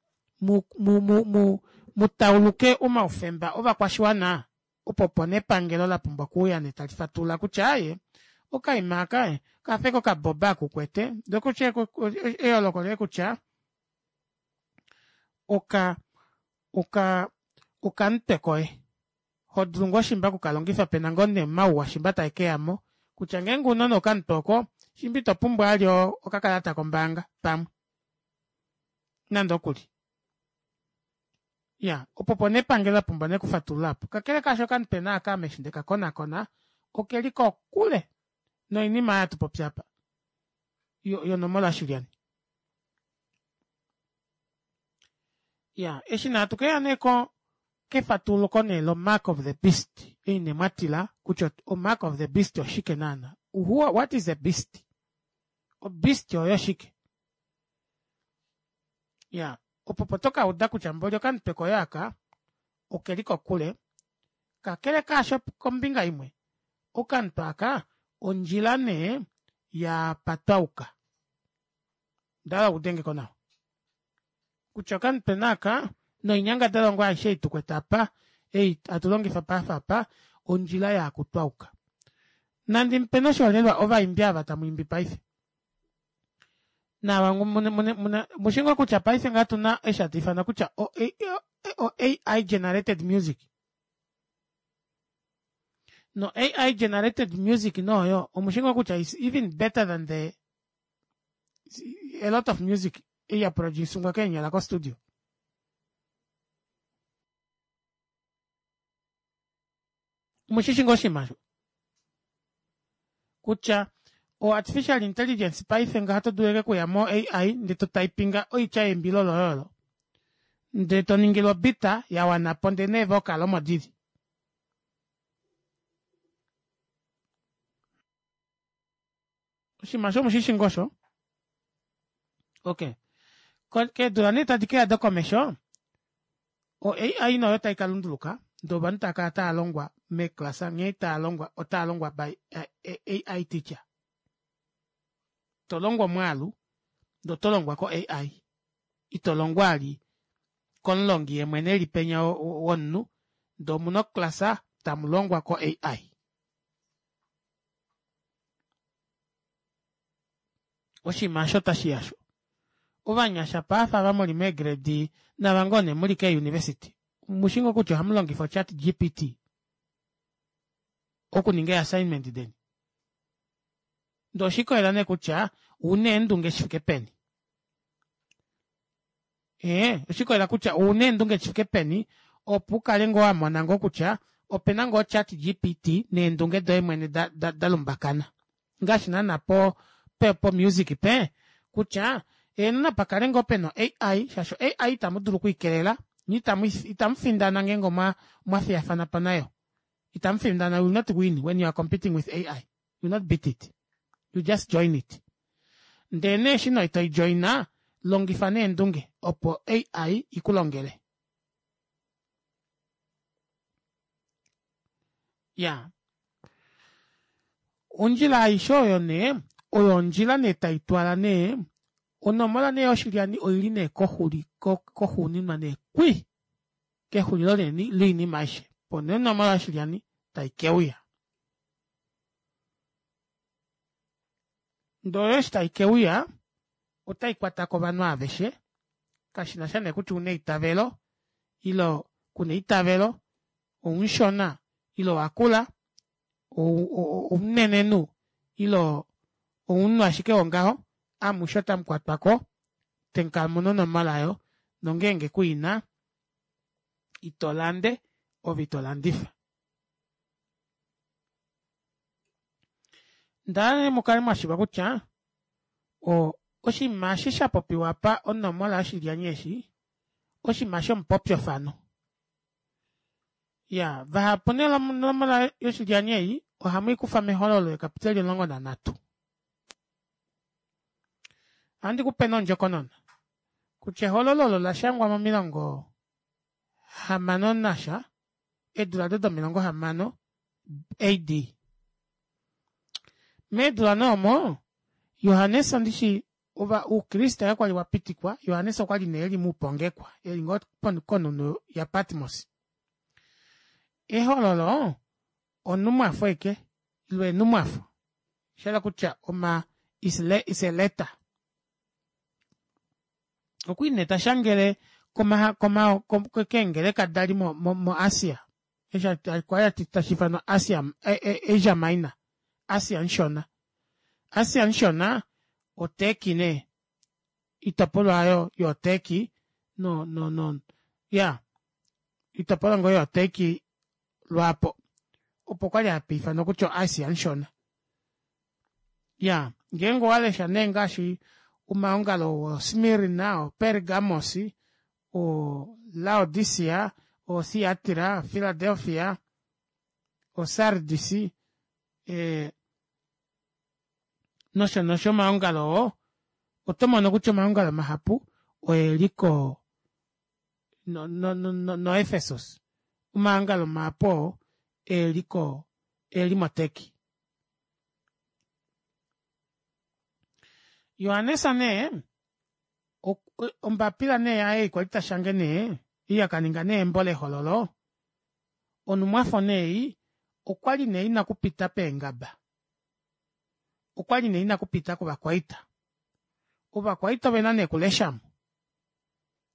mu, mu, mu, mu, mu tauluke omaufemba ovakwashiwana, opo opo nepangelo la pumbwa okuuya nee tali fatulula kutya aaye, okaima aka kafe kokaboba akukwete, ndee kutya eyooloko lee kutya oka oka okamutwe koye hodulu ngoo shimba okukalongifa pena ngoo nee omauwa shimba taekeyamo kutya ngeenge una nee okamutwe oko shimba ito pumbwa vali okakalata kombaanga pamwe nande okuli iya opo opo nee epangelo lapumbwa nee okufatulula aapo. Kakele kaasho okamutwe naaka ame eshi ndekakonakona okeli kokule noinima oyo hatu popi apa yonomola yoshilyani. Iya eshi nee hatu keya nee ko kefatuluko nee lo mark of the beast ei nee mwatila kutya o mark of the beast oshike naana. Who, what is a beast? O beast oyo shike? Ya, opo po to ka uda kutya mboli okamutwe koye aka okeli kokule. Kakele kaasho kombinga imwe, okamutwe aka ondjila nee ya patwauka. Ndala udengeko nawa. Kutya okamutwe naaka noinyangadalwa ngoo aishe ei tukwete apa, ei hatu longifa paife apa, ondjila yaakutwauka. Nandi mupe noshiholelwa ovaimbi ava tamu imbi paife. Naava mushi ngoo kutya paife ngaa tuna eshi hatu ifana kutya o, o A I generated music. No A I generated music noyo omushi ngoo kutya is even better than the a lot of music ei ya produce-ngwa keenyala ko studio. Omushishi ngoo oshinima osho? Kutya o artificial intelligence paife ngaha oto dulu ashike okuya mo A I ndee to typinga oitya yeimbilo loye olo ndee to ningilwa obita ya wana po ndee neevocal omo dili. Oshinima osho omushishi ngoo osho? Okay. Keedula nee tadi keya dokomesho, o A I noyo tai ka lunduluka, ndee ovanhu tava kala tava longwa meeklasa nghee tava longwa, otava longwa by A I teacher. To longwa omwaalu, ndee oto longwa ko A I. Ito longwa ali komulongi ye mwene eli penya womunhu, ndee omuna oklasa tamu longwa ko A I. Oshinima osho otashi yasho. Ovanyasha paife ava muli meegrade nava ngoo nee muli keeuniversity, mushi ngoo kutya ohamu longifa ochat G P T okuninga ee-assignment deni. Ndee oshikolela nee kutya ouna eendunge shi fike peni. Ee, oshikolela kutya ouna eendunge shi fike peni opo ukale ngoo wa mona ngoo kutya opena ngoo chat G P T neendunge doye mwene da, da, da lumbakana. Ngaashi naana po, pe, po music pe, kutya eeno napa kale ngoo pena A I, shaashi A I itamu dulu okuikelela, nye itamu, itamu findana ngeenge omwa, omwa fiyafana po nayo. Itamu findana, you will not win when you are competing with A I. You will not beat it. You just join it. Ndee nee eshi no ito joina, longifa neendunge opo A I iku longele. Ya. Ondjila aishe oyo nee, oyo ondjila nee tai twala nee, onomola nee yoshilyani oili nee koxuli, koxuuninwa nee kwi, kexulilo loinima aishe. Opo nee onomola yoshilyani tai keuya. Ndee oyo eshi tai keuya, otai kwata ko ovanhu aveshe, kashi na sha nee kutya una eitavelo, ilo kuna eitavelo, oumushona, ilo wakula, omunenenhu, ilo omunhu ashike wongaho, amushe otamu kwatwa ko, tenkamuna onomola oyo, nongeenge kuina, ito lande, ove ito landifa. Ndala mukale mwashiva kutya, o, oshinima eshi sha popiwa apa, onomola yoshilyani eshi, oshinima shomupopyofano. Ya, vahapu nee onomola yoshilyani ei, ohamu i kufa mehololo ekapiteli omulongo nanhatu. Ohandi ku pe nondjokonona kutya ehololo olo la shangwa momilongo hamano nasha, eedula ado domilongo hamano A D. Meedula nee omo Johannes ndishi ova oukriste kakwali wapitikwa, Johannes okwali nee eli moupongekwa, eli ngoo konhunhu yaPatmos. Ehololo onhumwafo ashike ile eenhumwafo, oshahala kutya oma is a letter. Okwali nee tashangele koma keengeleka dali moAsia, kwali tashi ifanwa Asia Asia Minor, Asia mushona. Asia mushona oTurkey nee, oitopolwa aayo yoTurkey no no no iyaa oitopolwa ngoo yoTurkey lwaapo opo kwali hapa ifanwa kutya o Asia mushona. Iyaa ngeenge owalesha nee ngaashi omaongalo oo Smirna, oPergamos, oLaodicea, oThiatira, Philadelphia, oSardis ee nosho nosho omaongalo oo otomono kutya omaongalo mahapu oeli koo no no no Ephesus omaongalo mahapu oo eliko eeli moTurkey. Johannes nee ombapila nee yaye ei kwali tashange nee ei akaninga nee embo lehololo, onhumwafo nee ei okwali nee ina okupita peengaba, okwali nee ina okupita kovakwaita. Ovakwaita ovena nee okuleshamo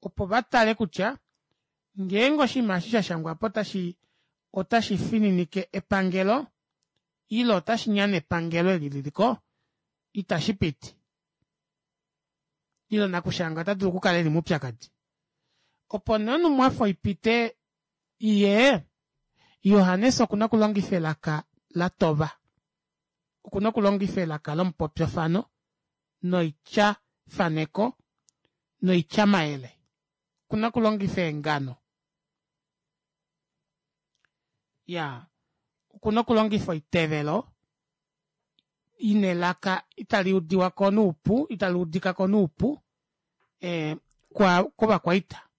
opo vatale kutya ngeenge oshinima eshi shashangwapo otashi otashi fininike epangelo ile otashinyane epangelo eli liliko ita shipiti ile nakushanga otadulu okukala eli moupyakadi. Opo nee onhumwafo ipite iyee, Johannes okuna okulongifa elaka latova, okuna okulongifa elaka lomupopyofano noitya faneko noitya mayele, okuna okulongifa eengano, iyaa okuna okulongifa oitevelo ina elaka itali udiwako noupu italuudikako noupu ee kovakwaita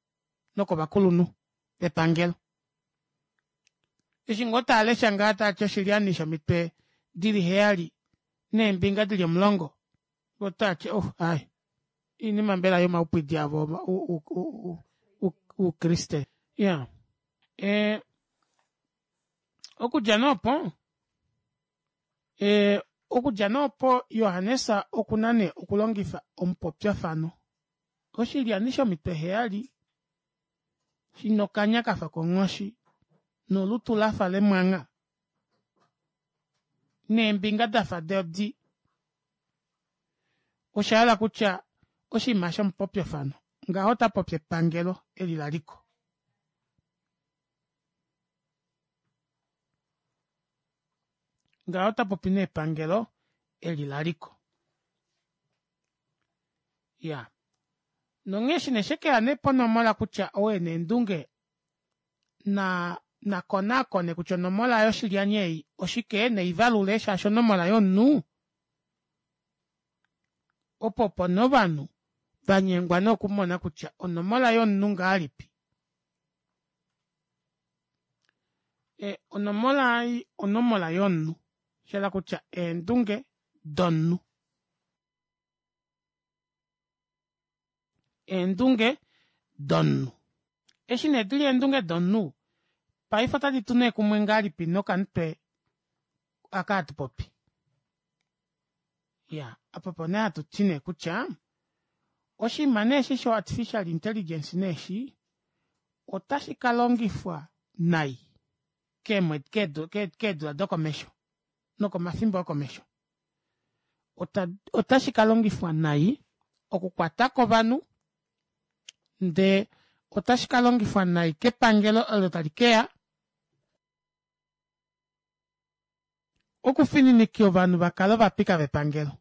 nokovakulunhu vepangelo. Eshi ngoo taalesha ngaha taati oshilyani shomitwe dili heyali neembinga dili omulongo voo otaati oh aaye oinima mbela yomaupwidi avo oukriste. Iyaa ee okudja nee opo ee okudja nee opo Johannes okuna nee okulongifa omupopyofano, oshilyani shomitwe heyali shina okanya kafa konghoshi nolutu lafa lemwangha neembinga dafa dodi, oshahala kutya oshinima shomupopyofano ngaho otapopi epangelo eli laliko. Ngaho otapopi nee epangelo eli laliko. Iyaa nonghee eshi nee shekeya nee ponomola kutya ou ena eendunge naa nakonaakone kutya onomola yoshilyani ei oshike neivalule shaashi onomola yomunhu opo opo nee ovanhu vanyengwa nee okumona kutya onomola yomunhu ngahelipi. E onomola ei onomola yomunhu shahala kutya eendunge domunhu. Eendunge domunhu. Eshi nee dili eendunge domunhu paife otadi tu nee kumwe ngahelipi nokamutwe aka hatupopi. Iyaa apa opo nee hatuti nee kutya oshinima nee eshi sho artificial intelligence nee eshi otashi kalongifwa nai keedula dokomesho nokomafimbo okomesho. Otashi kalongifwa nai okukwatako ovanhu ndee otashi kalongifwa nai kepangelo olo talikeya okufininika ovanhu vakale ovapika vepangelo.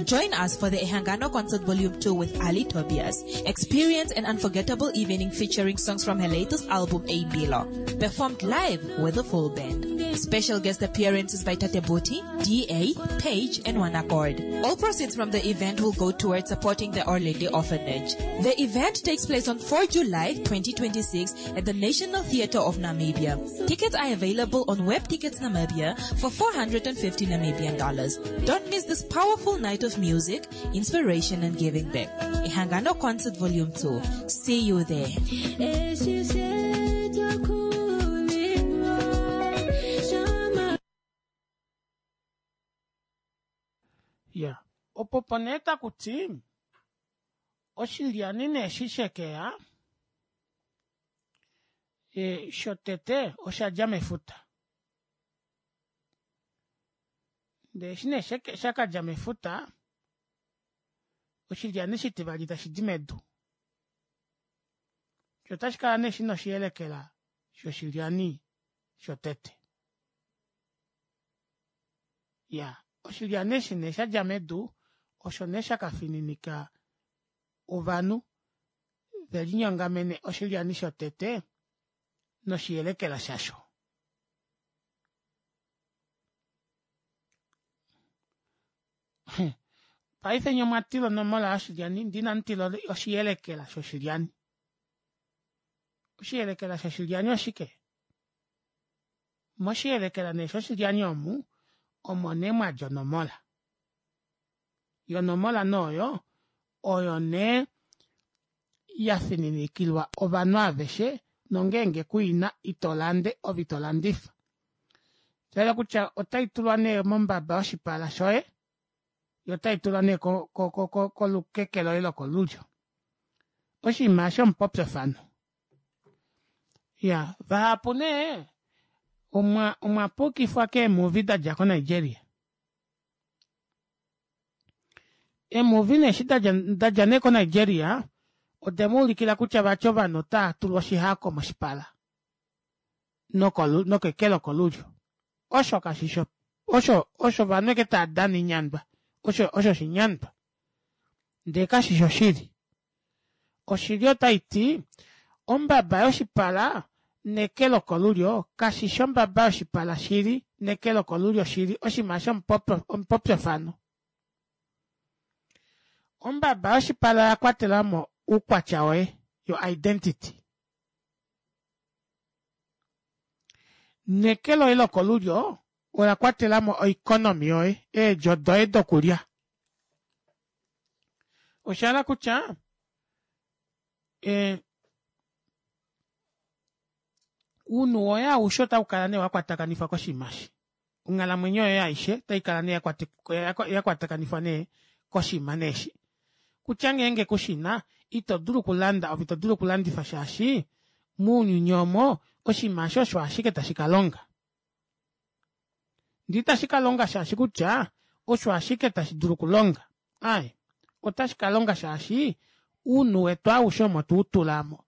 Join us for the Ehangano Concert Volume two with Ali Tobias. Experience an unforgettable evening featuring songs from her latest album, Eimbilo, performed live with a full band. Special guest appearances by Tate Boti, D A, Page, and One Accord. All proceeds from the event will go towards supporting the Orlindi Orphanage. The event takes place on four July twenty twenty-six at the National Theatre of Namibia. Tickets are available on Web Tickets Namibia for four hundred fifty Namibian dollars. Don't miss this powerful night of music, inspiration, and giving back. Ehangano Concert Volume two. See you there. Eshi shetakulilwa shama. Ya, opo po nee takuti oshilyani nee eshi shekeya e, shotete oshadja mefuta, ndee eshi nee shakadja mefuta, oshilyani shitivali tashidi medu shoo otashikala nee shina oshiyelekela shoshilyani shotete. Iyaa, oshilyani eshi nee shadja medu osho nee shakafininika ovanhu velinyongamene oshilyani shotete noshiyelekela shasho. Paife nyee omwatila onomola yoshilyani ndee inamutila oshiyelekela shoshilyani. Oshiyelekela shoshilyani oshike? Moshiyelekela nee shoshilyani omu omo nee mwadja onomola, yoo onomola nee oyo oyo nee yafininikilwa ovanhu aveshe nongeenge kuina itolande ove itolandifa. Oshahala kutya otaitulwa nee mombaba yoshipala shoye yoo otaitulwa nee kolukeke loye lokolulyo, oshinima aasho omupopyofano. Iyaa, vahapu nee omwa omwapukifwa keemuvi dadja ko nigeria. Eemuvi nee eshi dadja nee ko nigeria odemuulikila kutya vati ovanhu otaatulwa oshihako moshipala nokeke lokolulyo, osho kashishi osho osho ovanhu ashike taadana oinyandwa, osho oshinyandwa ndee kashishi oshili. Oshili otaiti ombaba yoshipala neke lokolulyo kashishi ombaba yoshipala shili neke lokolulyo shili, oshinima aasho omupopyofano. Ombaba yoshipala oyakwatelamo oukwatya woye, your identity, neke loye lokolulyo ola kwatelamo o economy yoye, eedjo doye dokulya. Oshahala kutya ee ounhu woye aushe otaukala nee wakwatakanifwa koshinima eshi, onghalamwenyo yoye aishe otaikala nee yakwatakanifwa nee koshinima nee eshi kutya ngeenge kushina ito dulu okulanda ove itodulu okulandifa shaashi mounyuni omo oshinima aasho osho ashike tashi kalonga ndee itashi kalonga shaashi kutya osho ashike tashi dulu okulonga, aaye otashi kalonga shaashi ounhu wetu aushe omo tweutula aamo,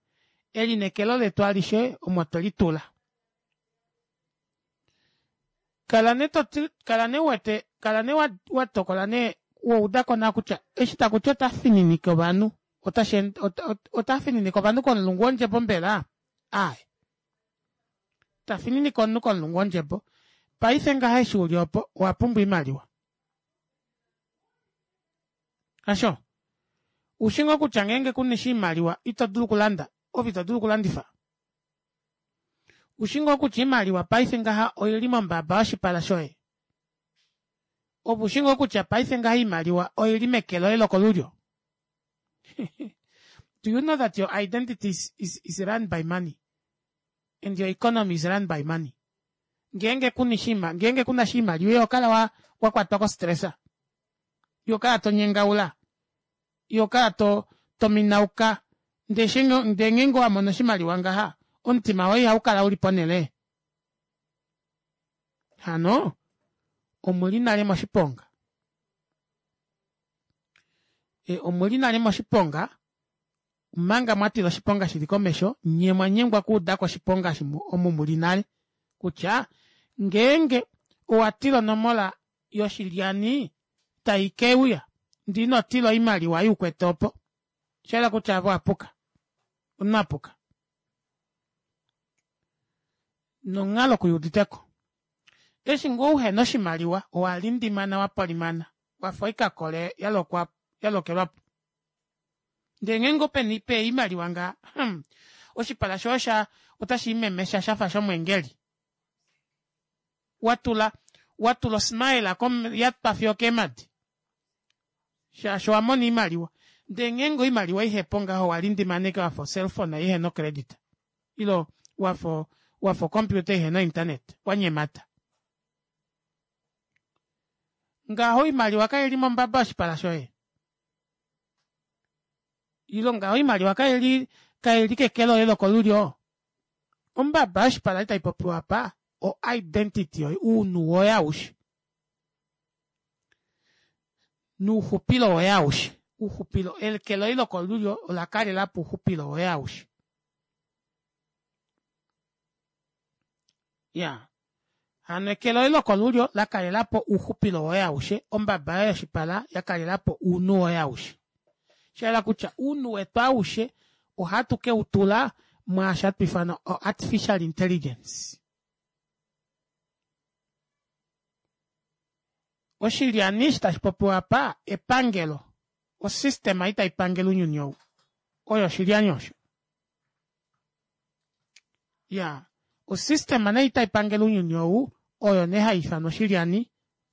elineekelo letu alishe omo twelitula. Kala nee toti kala nee uwete kala nee watokola nee waudako nawa kutya eshi takuti ota fininike ovanhu otashi ota fininike ovanhu komulungu wondjebo mbela? Aaye, tafininike omunhu komulungu wondjebo. Paife ngaha eshi uli opo owapumbwa oimaliwa, hasho? Ushi ngoo kutya ngeenge kuna oshimaliwa ito dulu okulanda ove ito dulu okulandifa? Ushi ngoo kutya oimaliwa paife ngaha oili mombaba yoshipala shoye? Ove ushi ngoo kutya paife ngaha oimaliwa oili meke loye lokolulyo? Do you know that your identity is, is, is run by money and your economy is run by money? Ngeenge kuna oshima ngeenge kuna oshimaliwa iho kala wa wakwatwa ko stress, iho kala tonyengaula, iho kala to tominauka, ndee ndee ngeenge owamono oshimaliwa ngaha omutima woye ihaukala uli ponele? Hano omuli nale moshiponga, e omuli nale moshiponga omanga mwatila oshiponga shili komesho, nyee mwanyengwa okuudako oshiponga omu muli nale kutya ngeenge owatila onomola yoshilyani tai keuya Ndee ino tila oimaliwa ei ukwete opo. Osha yela kutya ove owapuka. Omunhu apuka. Nonghalo kuyuuditeko. Eshi ngoo uhena oshimaliwa owalindimana wapolimana wafa oikakole yalokwa yalokelwapo. Ndee ngeenge opena oimaliwa ngaha hmm oshipala shoye osha otashiimemesha shafa shomweengeli. Watula watula osmile yatwa fiyo okeemadi shaashi owamona oimaliwa. Ndee ngeenge oimaliwa ihepo ngaho owalindimana ashike wafa ocellphone ihena ocredit ile wafa wafa ocomputer ihena internet wanyemata. Ngaho oimaliwa kaili mombaba yoshipala shoye? Ile ngaho oimaliwa kaili kaili keke loye lokolulyo? Ombaba yoshipala ei taipopiwa apa o identity yoye ounhu woye aushe nouxupilo woye aushe ouxupilo eke loye lokolulyo olakalelapo ouxupilo woye aushe. Iyaa hano eke loye lokolulyo lakalelapo ouxupilo woye aushe ombaba yoye yoshipala yakalelapo ounhu woye aushe. Shayela kutya ounhu wetu aushe ohatu keutula mwaasho hatu ifana o artificial intelligence. Oshilyani eshi tashipopiwa apa epangelo osystem ei taipangele ounyuni ou oyo oshilyani osho. Iyaa osystem nee ei taipangele ounyuni ou oyo nee haiifanwa oshilyani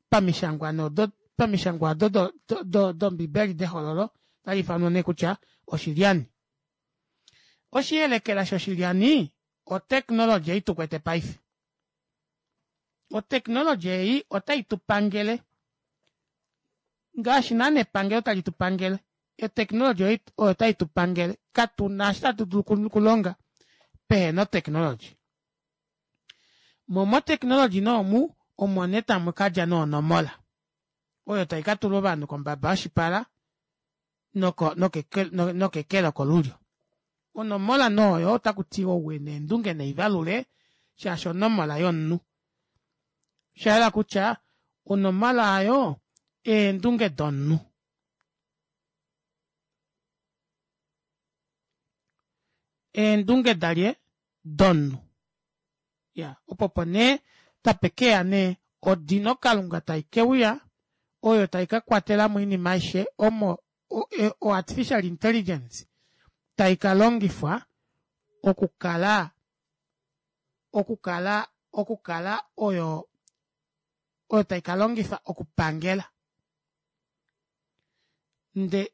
pamishangwa nee odo pamishangwa odo do dombibeli dehololo otaliifanwa nee kutya oshilyani. Oshiyelekela shoshilyani otechnology ei tukwete paife. Otechnology ei otai tupangele ngaashi naana epangelo tali tupangele otechnology oyo tai tupangele katuna eshi tatu dulu okulonga pehena otechnology. Moo motechnology nee omu omo nee tamu kadja nee onomola oyo taikatulwa ovanhu kombaba yoshipala noko nokeke lokolulyo. Onomola nee oyo otakutiwa ou ena eendunge neivalule shaashi onomola yomunhu. Oshayela kutya onomola aayo eendunge domunhu. Eendunge dalye? Domunhu. Iya opo opo nee tapekeya nee odino kalunga taikeuya oyo taikakwatelamo oinima aishe omo o artificial intelligence taikalongifwa okukala okukala okukala oyo oyo taikalongifa okupangela. Nde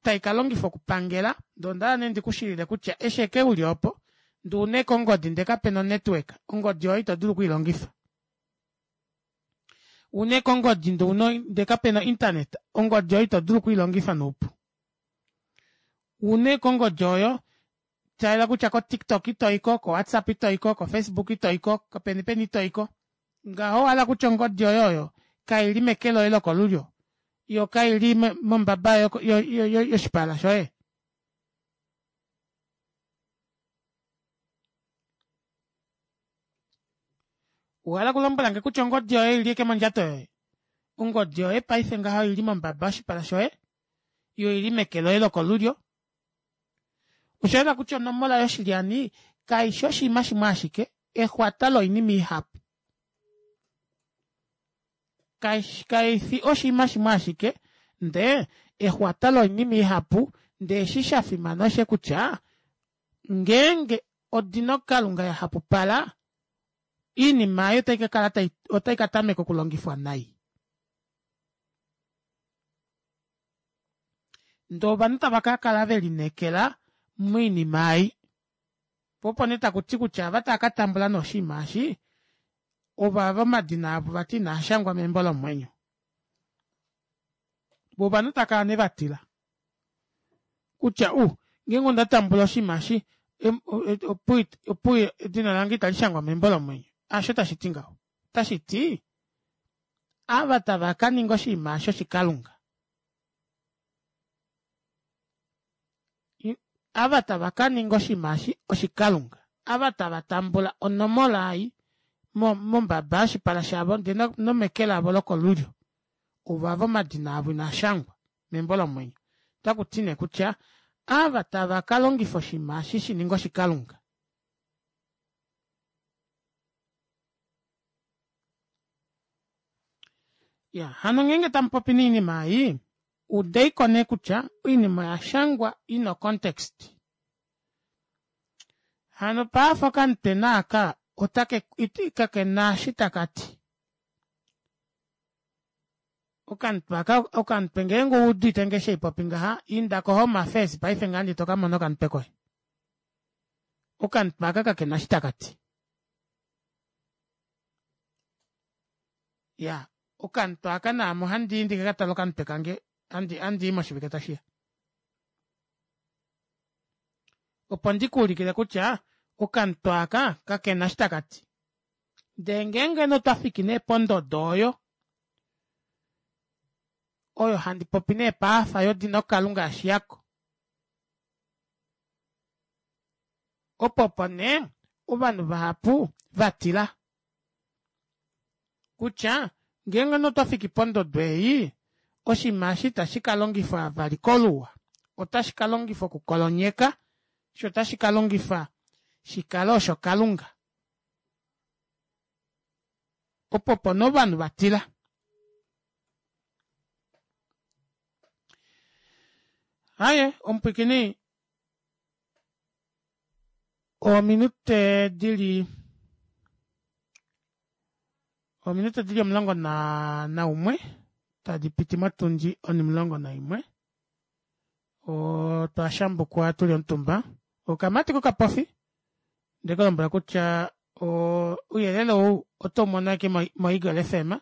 taikalongifwa okupangela ndee ondahala nee ndikushilile kutya eshi eke uli opo ndee una ashike ongodi ndee kapena onetwork ongodi oyo ito dulu okwiilongifa. Una ashike ongodi ndee una ndee kapena internet ongodi oyo ito dulu okwiilongifa noupu. Una ashike ongodi oyo shayela kutya ko tiktok itoyiko, ko whatsapp itoyiko, ko facebook itoyiko, kopeni peni itoyiko ngaho owahala kutya ongodi yoye oyo kaili meke loye lokolulyo yoo kaili mombaba yoshipala shoye. Owahala okulombwelange kutya ongodi yoye oili ashike mondjato yoye? Ongodi yoye paife ngaha oili mombaba yoshipala shoye yoo oili meke loye lokolulyo. Oshayela kutya onomola yoshilyani kaifi oshinima shimwe ashike, exwata loinima ihapu. Kaifi oshinima shimwe ashike ndee exwata loinima ihapu ndee eshi shafimana oshe kutya ngeenge odino kalunga yahapupala oinima aayo otai kakala otai katameka okulongifwa nai. Ndee ovanhu tava kakala velineekela moinima ei. Poo opo nee takuti kutya ava tava katambula nee oshinima eshi ovava omadina avo vati inaashangwa membo lomwenyo. Voo ovanhu tava kala nee vatila kutya uh ngeenge onda tambula oshinima eshi opuwo edina lange itali shangwa membo lomwenyo. Aasho tashiti ngaho. Otashiti ava tava kaninga oshinima eshi oshikalunga. Ava tava kaninga oshinima eshi oshikalunga. Ava tava tambula onomola ei mombaba yoshipala shavo ndee nomeke lavo lokolulyo ovava omadina avo inaashangwa Membo lomwenyo. Otaku ti nee kutya ava tava ka longifa oshinima eshi shi ninge oshikalunga. Ya, hano ngeenge tamupopi nee oinima ei, udeiko nee kutya oinima oya shangwa ina o context. Hano paife okamutena aaka otake kakena eshi takati. Okamutwe aka okamutwe ngeenge owuuditenge eshi haipopi ngaha inda ko home affairs paife ngaha ndee tokamona okamutwe koye. Okamutwe aaka kakena eshi takati. Iyaa okamutwe aaka naame ohandii ndikakatale okamutwe kange handii moshivike tashiya. Opo ndikuulikile kutya okamutwe aaka kakena eshi takati. Ndee ngeenge nee otwafiki nee pondodo oyo, oyo handi popi nee paife yodino kalunga yashiyako opo opo nee ovanhu vahapu vatila kutya ngeenge nee otwafiki pondodo ei oshinima eshi ita shikalongifwa vali koluwa ota shikalongifwa oku kolonyeka shoo ota shikalongifwa shikale osho kalunga. Opo opo nee ovanhu vatila. Aaye omupwiikini ominute dili ominute dili omulongo naumwe tadipiti motundi onimulongo naimwe otwa shambukwa tuli omutumba okamati kokapofi ondekulombwela kutya ouyelele ou otoumono ashike mo eagle F M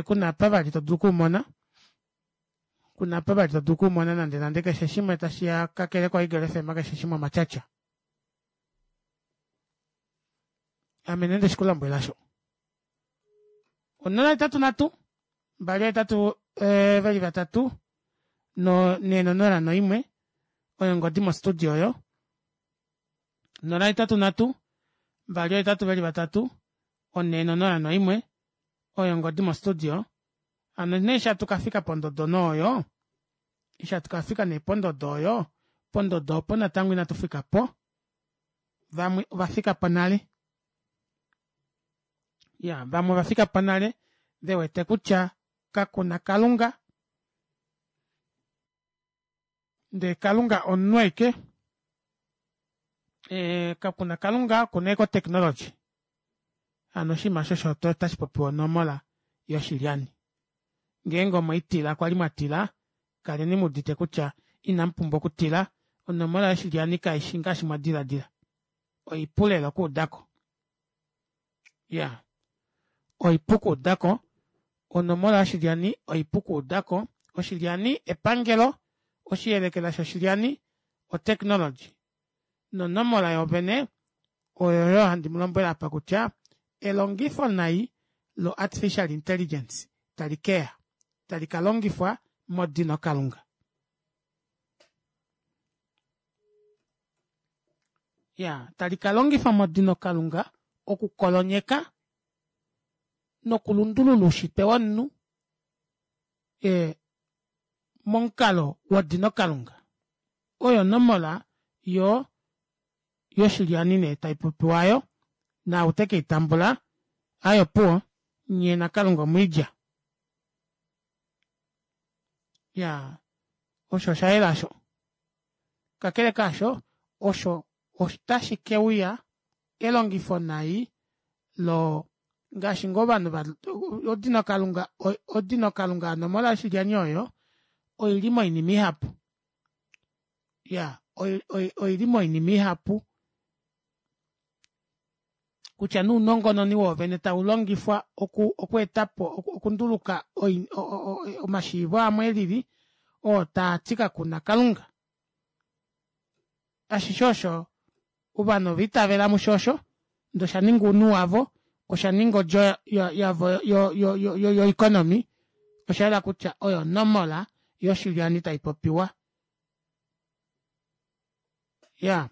kuna apa vali todulu okuumona kuna apa vali todulu okuumona nande nande keshe shimwe tashiya kakele ko eagle F M keshe shimwe omatyatya. Ame nee ndeshikulombwela osho. Onola hetatu nhatu mbali ohetatu veli vatatu nhee nonola noimwe oyo ongodi mo studio oyo nola hetatu nhatu mbali ohetatu veli vatatu onhee nonola noimwe oyo ongodi mo studio hano nee eshi hatu kafika pondodo nee oyo eshi hatu kafika nee pondodo oyo pondodo opo natango ina tufikapo vamwe ovafikapo nale iyaa vamwe ovafikapo nale vewete kutya kakuna kalunga ndee kalunga omunhu ashike kakuna kalunga okuna ashike o technology hano oshinima aasho osho tashi popiwa onomola yoshilyani ngeenge omweitila kwali mwatila kaleni muudite kutya inamupumbwa okutila onomola yoshilyani kaishi ngaashi mwadilaadila oipu lela okuudako iyaa oipu okuudako onomola yoshilyani oipu okuudako oshilyani epangelo oshiyelekela shoshilyani o technology nonomola yoovene oyoyo handi mulombwele apa kutya elongifo nai lo artificial intelligence tali keya tali kalongifwa modino kalunga. Iyaa tali kalongifwa modino kalunga oku kolonyeka noku lundulula oushitwe womunhu ee momukalo wodino kalunga. Oyo onomola yoo yoshilyani nee taipopiwa aayo naau tekeitambula aaye opuwo nyee nakalunga omwiilya. Iyaa osho oshayela aasho. Kakele kaasho osho otashi keuya elongifo nai loo ngaashi ngoo ovanhu odino kalunga odino kalunga onomola yoshilyani oyo oili moinima ihapu iyaa oili moinima ihapu kutya nee ounongononi woovene taulongifwa okweetapo okunduluka omashiivo amwe elili oo taati kakuna kalunga. Ashishe osho ovanhu ova itavela musho osho ndee oshaninga ounhu wavo oshaninga odjo yavo yo economy oshayela kutya oyo onomola yoshilyani taipopiwa. Iyaa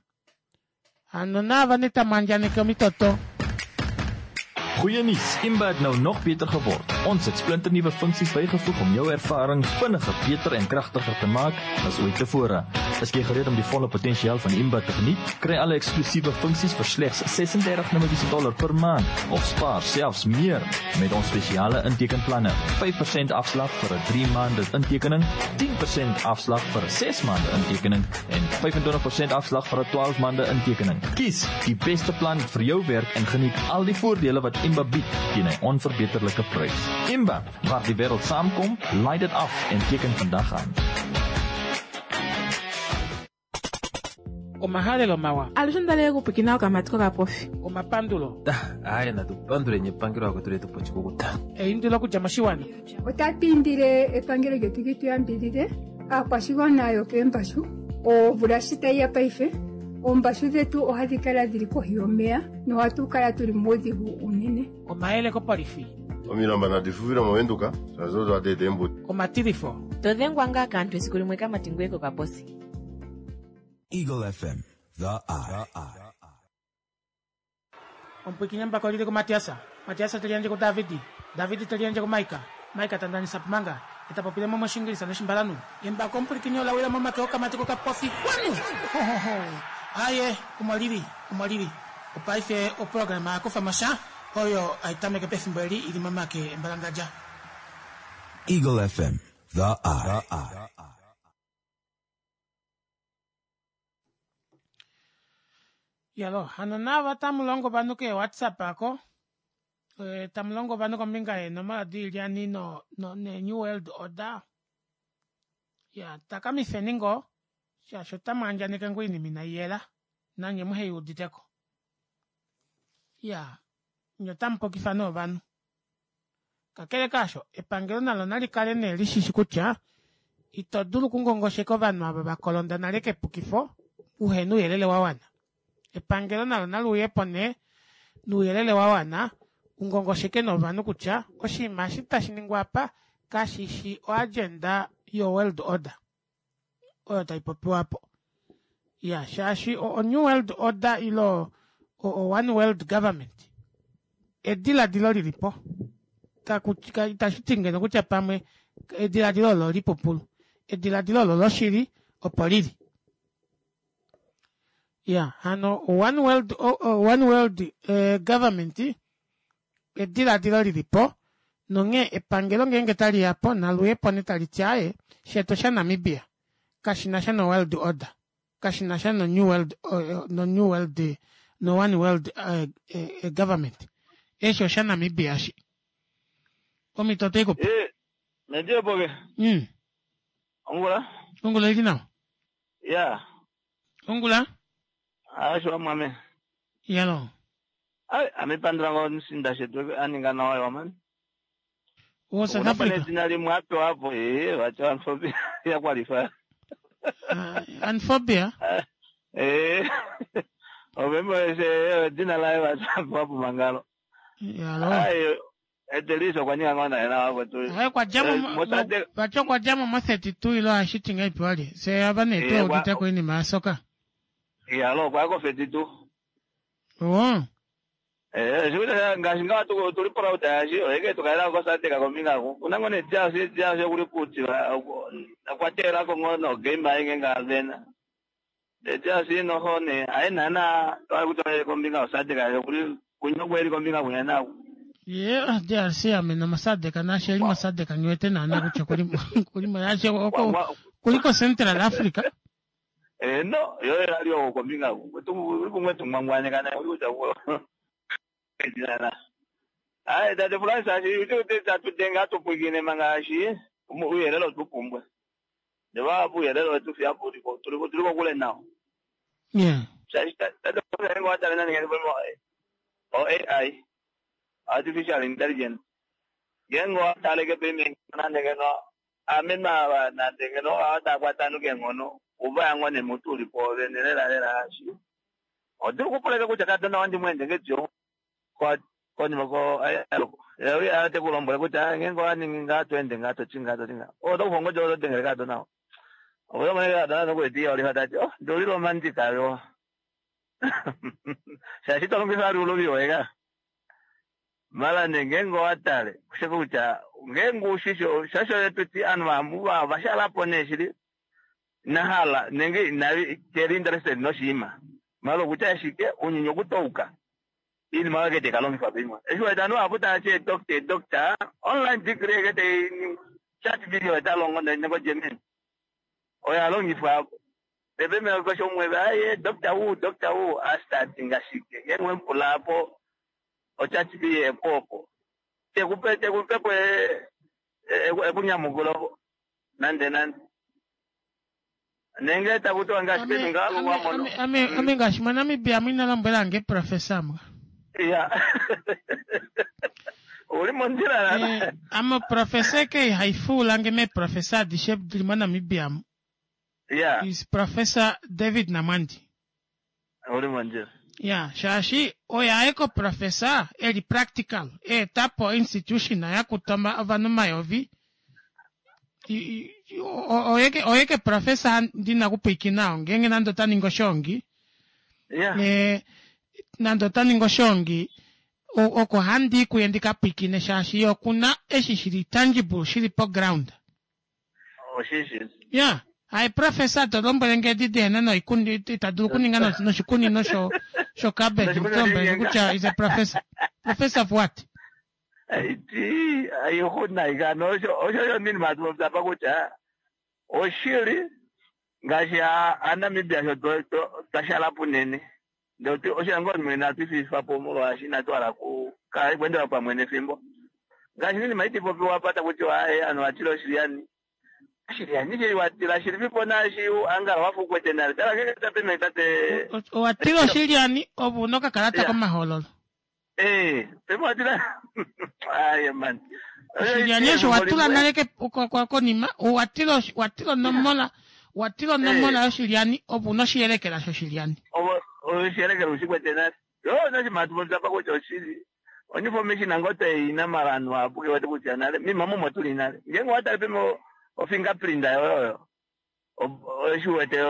hano naava nee tamwaandjaneke omitoto Goeie nuus, Imba het nou nog beter geword. Ons het splinternuwe funksies bygevoeg om jou ervaring vinniger, beter en kragtiger te maak as ooit tevore. Is jy gereed om die volle potensiaal van Imba te geniet? Kry alle eksklusiewe funksies vir slegs ses-en-dertig Namibiese dollar per maand of spaar selfs meer met ons spesiale intekenplanne. vyf persent afslag vir 'n drie maande intekening, tien persent afslag vir 'n ses maande intekening en vyf-en-twintig persent afslag vir 'n twaalf maande intekening. Kies die beste plan vir jou werk en geniet al die voordele wat Imba bied teen 'n onverbeterlike prys. Imba, waar die wêreld saamkom, laai dit af en teken vandag aan. Omahalelo mawa. Alushe ndaleke kupikina okamati kokapofi. Omapandulo. Aye, natupandule epangelo akwetu letu pochikukuta. Eindilo okudja moshiwana. Otatu indile epangelo lyetu li tu yambidhidhe aakwashigwana yokeembashu omvula shi tayi ya paife oombashu dhetu ohadhi kala dhili kohi yomeya nohatu kala tuli muudhigu unene. Omayele kopolifi. Omilamba nadi fufile movenduka shaashi odo hadi eta eembuto. Omatilifo. Todhengwa ngaa kaantu esiku limwe kamati ngweye kokaposi. Eagle F M, the eye. Ompwikinya mbako lili ku Matiasa. Matiasa telianje ku Davidi. Davidi telianje ku Maika. Maika tandanisa pumanga. Etapopile mo moshingilisa noshimbalanu. Embako ompwikinya olawila momake okamati kokapofi. Kwanu! Ho, ho, ho. Aye, omolili, omolili. Opaife oprograma yakufa mosha oyo aitameke pefimbo eli ili momake embalangadja. Eagle F M, the eye. Yalo, hano nava tamulongo vanhu ke WhatsApp ako. E, tamulongo vanhu kombinga yeenomola diilyani no, no, ne New World Order. Ya, takamifeni ngoo, shaashi otamu andjaneke ngoo oinima inai yela, nanye muhe iuditeko. Ya, nye otamu pukifa nee ovanhu. Kakele kaasho, epangelo nalo nali kale nee lishishi kutya, ito dulu okungongosheka ovanhu ava vakolonda nale kepukifo, uhena ouyelele wa wana. Epangelo nalo nali uyepo nee nouyelele wa wana, ungongosheke novanhu kutya, oshinima eshi tashi ningwa apa, kashishi oagenda yo World Order oyo tai popiwa po. Ya, shaashi o, o New World Order ilo o, o One World Government ediladilo lilipo. Itashi ti ngeno kutya pamwe ediladilo olo lipupulu. Ediladilo olo loshili opo lili. Ya, hano One World, o, o, One World, eh, Government ediladilo lilipo nonge epangelo ngenge tali yapo naluyepo netali ti aye shetu sha Namibia kashina sha no World Order, kashina sha no New World, o, no New World, no One World, eh, eh, Government. Esho sha Namibia shi. Omito te ikupa. Eh, ndiyo boge. Mm. Ongula? Ongula ili nao? Yeah. Ongula? Asho mwame. Yalo. Ai, amepandra ngo nsinda shetu aninga nawa yo man. Wo South Africa. Kuna limwe hapo hapo eh wacha anfobia ya qualify. Uh, anfobia? Eh. Obembo ese dina la wacha hapo mangalo. Yalo. Ai, eteliso kwa nyinga ngona ena hapo tu. Hai kwa jamu wacha kwa jamu mo thirty-two ilo ashiti ngai pwali. Se abane to udita kwa ni masoka. Yalo kwa ko thirty-two. Oh. Eh, sikuti ngaashi ngawa tuli proud yashi oyeke tukaela kosateka kombinga ku kunango ne jasi jasi kuli kuti kwatela ko ngono game ayinge ngavena de jasi no hone aina na twali kombinga osateka kuli kunyokweli kombinga kunyana ye D R C amena masadeka na sheli masadeka nywete na na kucha kuli kuli mayache oko kuliko Central Africa. Eh no yo ali kombinga ku tu kumwe tumwangwane kana kuja ku Ai, tate Francis, ashi tatutenga tupwikine mangashi uyelelo tupumbwe. Ndeva uyelelo tufia puliko tuliko tuliko kule nao. Yeah. Shashi tate Francis ngo atale nani ngene o A I artificial intelligence. Gengo atale ke payment nande ngeno amema nande ngeno ata kwatanu ke ngono uba ngone mutuli po venelela lela ashi. Odiri kupuleka kutya kadona wandi mwende ngejo kwa konima ko ayo ate kulombwela kutya ngengo aningi ngatwende ngatochinga ngatotinga odo kuhongo jo tengere kadona odo mwana kadona nokuetiya oli hatati oh ndoli romantic ayo shashi tolongisa ali uloviwa eka Mala nee ngeenge owa tale osheke kutya ngeenge ushishi shasho yetuti ovanhu vahapu vashalapo nee shili nahala nenge inavi keli interested noshinima mala okutya ashike ounyuni okutouka iinima oyo ke taikalongifwa poima eshi wete ovanhu vahapu tavati eedoctor eedoctor online degree eke tainingwa chat video talongo noko Germany oyo alongifwa pepe keshe umwe aye doctor wu doctor wu astartinga shike ngeenge wemupula po ochat video epopo tekupe tekupepo ekunyamukulo nande nande nenge takutiwa ngaashi petu ngaavo wamono ame ame ngaashi moNamibia mwina lombwelange professor mwa ya uli mondjila Eh, ame professor ke haifuulange meeprofessor adishe dili moNamibia mu ya is Professor David Namwandi uli mondjila ya shaashi oye aye professor eli practical eetapo institution yakuta ovanhu omayovi I- i- o- oyeke oyeke professor ndina kupwikinao ngeenge nande ota ningi oshongi ya eh, nande ota ningi oshongi o- oko handi kuye ndikapwikine shaashi ye okuna eshi shili tangible shili po ground oshishi ya hayi professor to lombwele nge edi dihena noikundi ita dulu okuninga no- noshikunino sho sho cabbage Noshikunino mutombwele shinyenga. kutya is a professor professor of what ti aihuna osho osho nini matupopya pa kutya oshili ngaashi a- aNamibia sho twa- twa- twashala punene ndee oshilongo mwene atufifa po molwaashi inatu hala ku kala kuendela pamwe nefimbo ngaashi ninima itipopiwa apa takutiwa aye ovanhu vatila oshilyani oshilyani shili watila shilipipo naashi angala wafa ukwete nale tala ngenge tapeme tate owatila oshilyani ove una okakalata komahoololo ee peme watila aye man oshilyani osho watula nale ke- ko- ko- konima owatila oshi- watila onomola watila onomola yoshilyani ove una oshiyelekela shoshilyani oshiyelekela ushikwete nale yo noshimatu apa kutya oshili oinformation ango toina mala anhu apo kewete kutya nale mima mumo tuli nale ngeenge watale peme ofingerprint yoyoyo oshiwete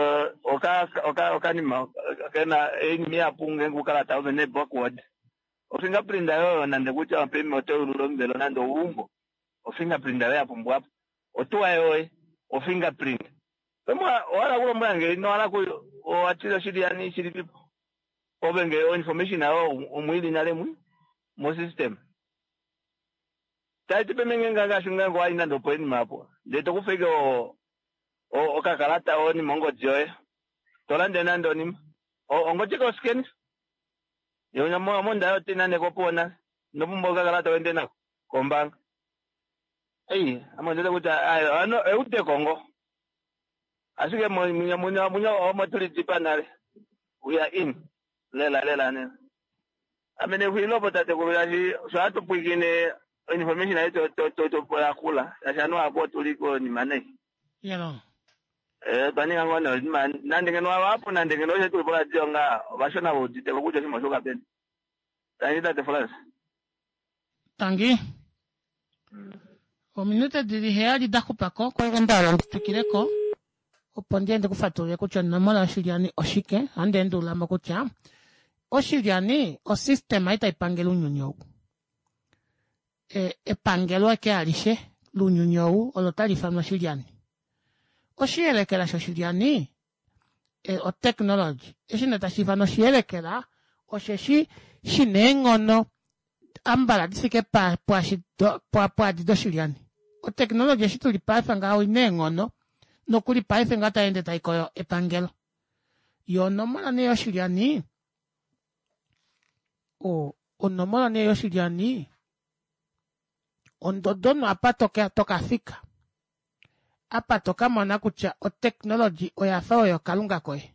oka oka okanima kena einima ihapu ngeenge ukalata ove ne backward ofingerprint yoyo nande kutya peme otoulula omuvelo nande oumbo ofingerprint yoyo yapumbwapo otuwa yoye ofingerprint peme owala kulombwela nge ino ku owatile oshilyani shilipipo ove nge oinformation yayo omwili nale mwi mo system taiti peme nge ngaashi ngeenge wayi nande opo enima apo ndee tokufa ike o- o- okakalata onima ongodi yoye tolande nande onima ongodi ke oscan monda yo nande kopuwo nale inopumbwa okakalata wende nako kombaanga ei ame ondete kutya ayo ano eudeko ngo ashike munya munya munya omo tulidipa nale we are in lela lela nena ame nexulilopo tatekulu shaashi sho hatu pwikine information ayi toyakula shaashi anu ako otuli konima nei yelo Eh, twaninga ngoo nee oshinima nande ngeno vapo nande ngeno osho tuli poradio nga ovashona vouditeko kutya oshinima osho kapeni tangi tate Frans tangi ominute dili heyali da xupako kwegembalo nditwikileko opo ndiende kufatulule kutya onomola yoshilyani oshike ohandi endululamo kutya oshilyani osystem ei taipangele ounyuni ou E- epangelo eke alishe lounyuni ou olo tali ifanwa oshilyani oshiyelekela shoshilyani e, otechnology eshi nee tashi ifanwa oshiyelekela osheshi shina eenghono ambala difike pa- pwaashi do- pwa- pwaadi doshilyani otechnology eshi tuli paife ngaho oina eenghono nokuli paife ngaho taende taikoyo epangelo yo onomola nee yoshilyani o onomola nee yoshilyani ondodono apa toka tokafika apa tokamona kutya otechnology oyafa oyo kalunga koye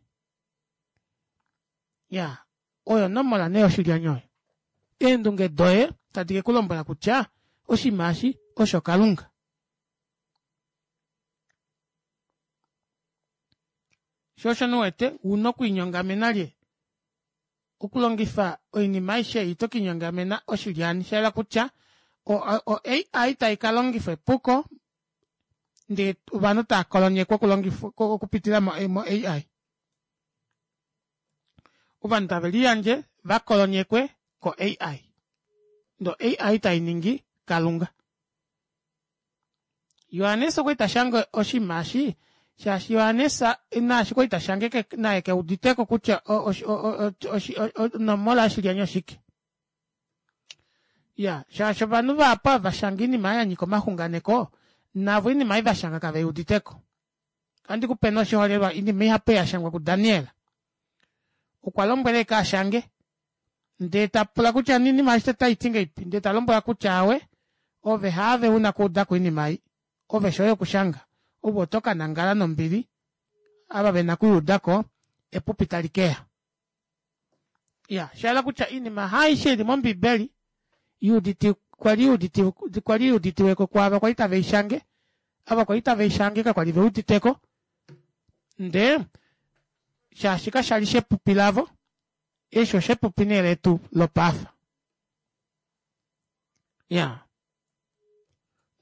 ya oyo onomola nee yoshilyani oyo eendunge doye tadi ke kulombwela kutya oshinima eshi osho kalunga sho osho nuwete una okwiinyongamena lye okulongifa oinima aishe ei tokiinyongamena oshilyani shayela kutya o, o A I tai ka longifa epuko ndee ovanhu tava kolonyekwa okulongifa okupitila mo, mo A I ovanhu tave liyandje vakolonyekwe ko A I Ndo A I tai ningi kalunga. Johannes okwali tashange oshinima eshi shaashi Johannes naashi kwali tashange naye keuditeko kutya onomola yoshilyani oshike. Ya, shaashi ovanhu vahapu ava vashanga oinima yanyika omaxunganeko navo oinima ei vashanga kaveuuditeko. Ohandi kupe nee oshiholelwa oinima ihapu yashangwa kuDaniel. Okwa lombwela ashike ashange ndee tapula kutya oinima aishe otaiti ngahelipi ndee talombwelwa kutya aawe ove haave una okuudako oinima ei ove shoye okushanga ove oto kanangala nombili ava vena okuyuudako epupi talikeya. Iya, shahala kutya oinima haaishe ili mombibeli yuuditi kwali yuuditi kwali yuuditiweko kwaava kwali taveishange ava kwali taveishange kakwali veuditeko ndee shaashi kashali shepupi lavo eshi oshepupi nee letu lopaife. Iyaa,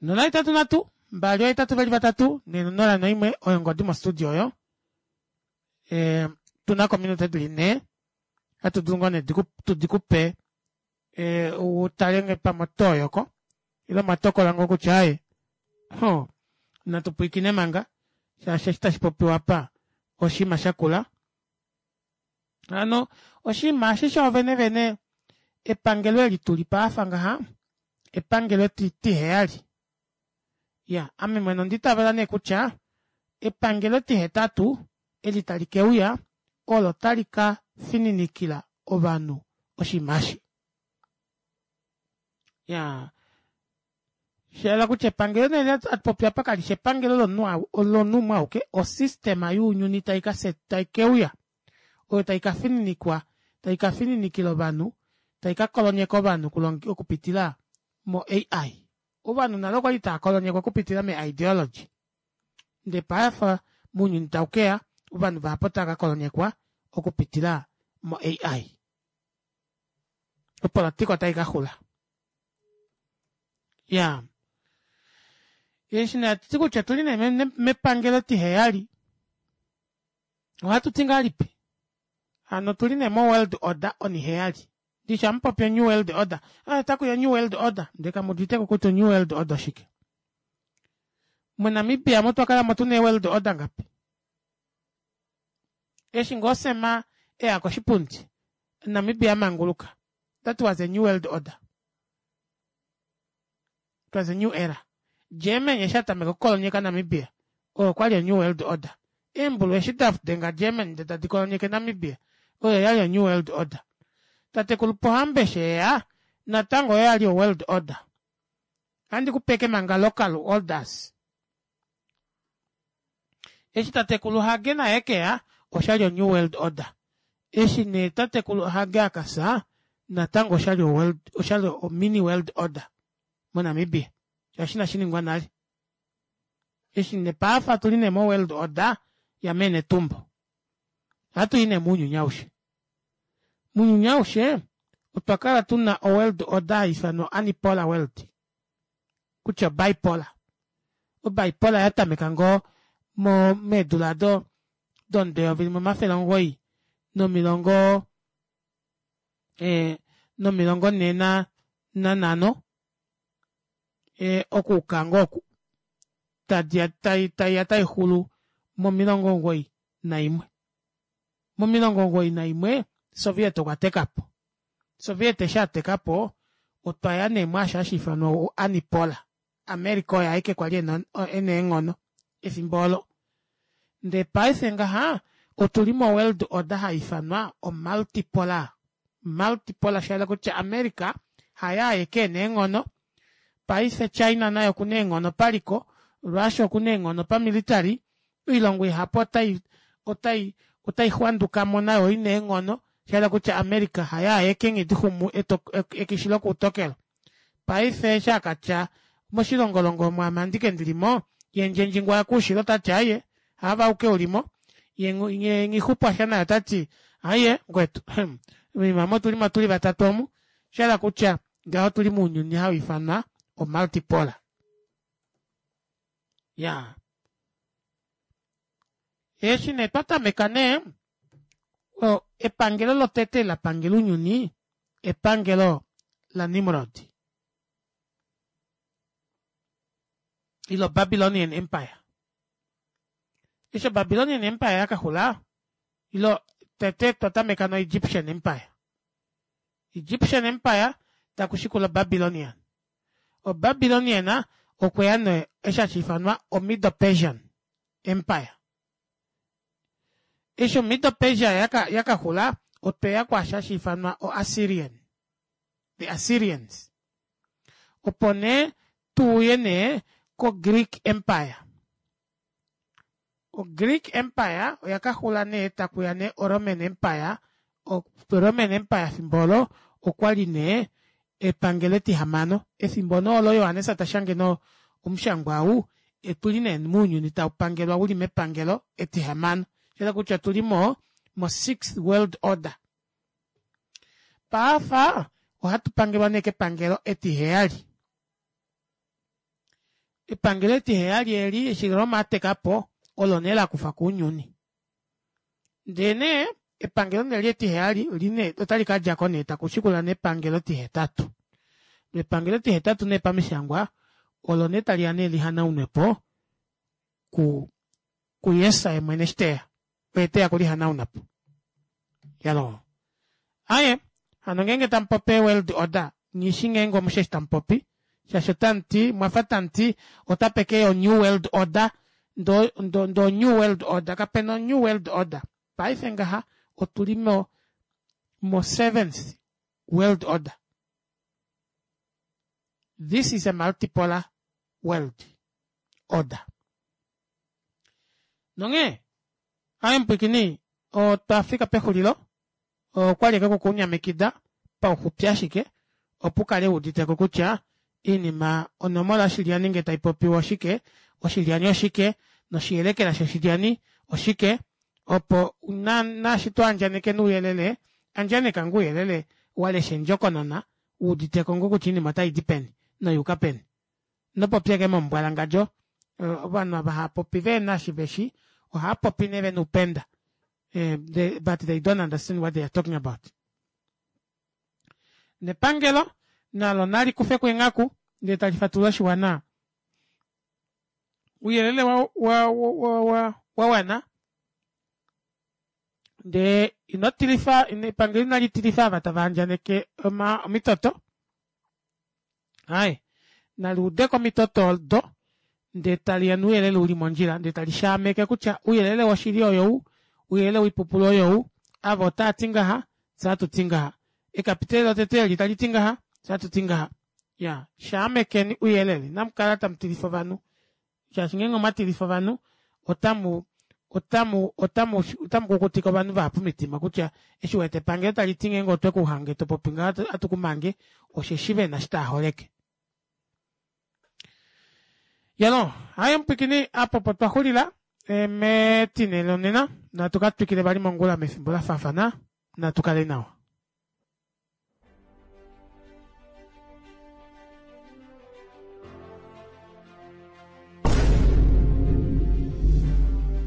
nola hetatu nhatu mbali ohetatu veli vatatu nonola noimwe oyo ongodi mo studio oyo ee otunako ominute dili nhee ohatu dulu ngoo nee tudikupe ee utale ngee pamwe otoyoko ile omwatokola ngoo kutya aaye hoo natu pwiikine manga shaashi eshi tashipopiwa aapa oshinima shakula. Hano oshinima eshi shoovene vene epangelo eli tuli paife ngaha epangelo etiheyali. Iyaa ame mwene onda itavela nee kutya epangelo etihetatu eli tali keuya olo tali kafininikila ovanhu oshinima eshi. Iyaa shayela kutya epangelo nee eli hatupopi aapa kalishi epangelo lomunhu umwe auke o system younyuni taikeuya oyo taikafininikwa taikafininikila ovanhu taikakolonyeka ovanhu okupitila mo A I. Ovanhu nale okwali taakolonyekwa okupitila me ideology ndee paife mounyuni taukeya ovanhu vahapu otava kakolonyekwa okupitila mo A I. Opolitika otaikaxula. Iyaa, eshi nee hatuti kutya otuli nee mepangelo etiheyali ohatuti ngahelipi hano otuli nee mo world order oniheyali ndishi hamupopi o new world order aa otakuya o new world order ndee kamuuditeko kutya o new world order oshike. MoNamibia omu otwakalamo tuna ee world order ngapi? Eshi ngoo Sam eya koshipundi Namibia amanguluka that was a new world order. It was a new era. Germany eshi atameka okukolonyeka Namibia oyo okwali o new world order. Eembulu eshi dadenga Germany ndee tadi kolonyeke Namibia oyo oyali o new world order. Tatekulu Pohamba eshi eya natango oyo oyali o world order. Ohandi kupe ashike manga local orders. Eshi tatekulu Hage naye ekeya oshali o new world order. Eshi nee tatekulu Hage akafya natango oshali o world oshali o mini world order moNamibia shaashi inashiningwa nale. Eshi nee paife otuli nee mo world order ya mee Netumbo. Ohatui nee mounyuni aushe. Mounyuni aushe otwa kala tuna o world order haiifanwa unipolar world kutya o bipolar. O bipolar yatameka ngoo mo meedula aado domudo eyovi limwe omafele omugoyi nomilongo ee nomilongo nhee nanhano ee okuuka ngoo oku taiya taixulu momilongo omugoyi naimwe. Momilongo omugoyi naimwe Soviet okwatekapo. Soviet eshi atekapo otwaya nee mwaasho hashiifanwa o unipolar. America oye aeke kwali ena eenghono efimbo oolo. Ndee paife ngaha otuli mo world order haiifanwa o multipolar. Multipolar shahala kutya America haye aeke ena eenghono paife China naye okuna eenghono paliko Russia okuna eenghono pa military oilongo ihapu otai otai otai xwandukamo nayo oina eenghono shahala kutya America haye aeke nghidixumu ekishi lokuutokelo. Paife eshi akatya moshilongolongo omu ame andike ndilimo yee ndjendjingu wakoushilo otati aaye haave auke ulimo yee nghixupwasha naye otati aaye mukwetu moima omu otulimo tuli vatatu omu oshahala kutya ngaho otuli mounyuni hauifanwa o multipolar. Iyaa, eshi nee twatameka nee epangelo lotete eli lapangela ounyuni epangelo la Nimrod. Ile Babylonian Empire. Eshi o-Babylonian Empire yakaxula, ilo tete twa tameka no-Egyptian Empire. Egyptian Empire takushikula o-Babylonian. O-Babylonian okweya nee eshi hashi ifanwa o-Medo-Persian Empire. Eshi o-Medo-Persia yaka yakaxula, otweya kwaashi hashi ifanwa o-Assyrian. The Assyrians. Opo nee tuuye nee ko-Greek Empire. O-Greek Empire oya kaxula nee takuya nee o-Roman Empire. O-Roman Empire efimbo olo okwali nee epangelo etihamano. Efimbo nee olo Johannes tashange nee omushangwa ou, otuli nee mounyuni taupangelwa uli mepangelo etihamano. Shahala kutya otuli mo mo sixth world order. Paafa ohatu pangelwa nee kepangelo etiheyali. Epangelo etiheyali eli eshi Roma atekapo olo nee lakufa kounyuni. Ndee nee epangelo nee eli etiheyali line otali kadjako nee takushikula nee epangelo etihetatu. Epangelo etihetatu nee pamishangwa olo nee taliya nee lihanaunwepo ku kuJesus yemwene eshi teya. Oye teya kulihanaunapo. Yaloo. Aaye, hano ngeenge tamupopi world order, nghishi ngeenge omushe eshi tamupopi, shaashi otamuti, mwafa tamuti otape keya o new world order, ndo ndo ndo new world order, kapena o new world order. Paife ngaha otuli mo mo seventh world order. This is a multipolar world order. Nonghee, aaye mupwiikini, otwa fika pexulilo, okwali ashike okukunyamikida pauxupi ashike, opo ukale wuuditeko kutya iinima onomola yoshilyani ngee taipopiwa oshike, oshilyani oshike, noshiyelekela shoshilyani oshike, opo naashi to andjaneke ouyelele, andjaneka ngoo ouyelele walesha endjokonona wuuditeko ngoo kutya oinima otaidi peni noyuuka peni. Ino popya ashike momumbwalangandjo. Ovanhu ava haapopi vehena eshi veshi, ohaapopi nee vena oupenda but they don't understand what they are talking about. Nepangelo nalo nali kufeko eenghaku ndee tali fatulula oshiwana ouyelele wa wa wa wa wawana ndee ino tilifa epangelo inali tilifa ava tava andjaneke oma omitoto aaye nali udeko omitoto odo ndee taliya nouyelele uli mondjila ndee tali shaameke kutya ouyelele woshili oyou ouyelele woipupulu oyou ava otaati ngaha fyee ohatuti ngaha ekapiteli lotete eli taliti ngaha fyee ohatuti ngaha iyaa shaamekeni ouyelele inamukala tamutilifa ovanhu shaashi ngeenge omwatilifa ovanhu otamu otamu otamu otamu kukutike ovanhu vahapu omitima kutya eshi uwete epangelo taliti ngeenge otwe kuhange topopi ngaha ohatu kumange osheshi vena eshi taaholeke. Yalo, haye mupwikini apa opo twa xulila metine lonena natu ka twikile vali mongula mefimbo la faafana natu kale nawa.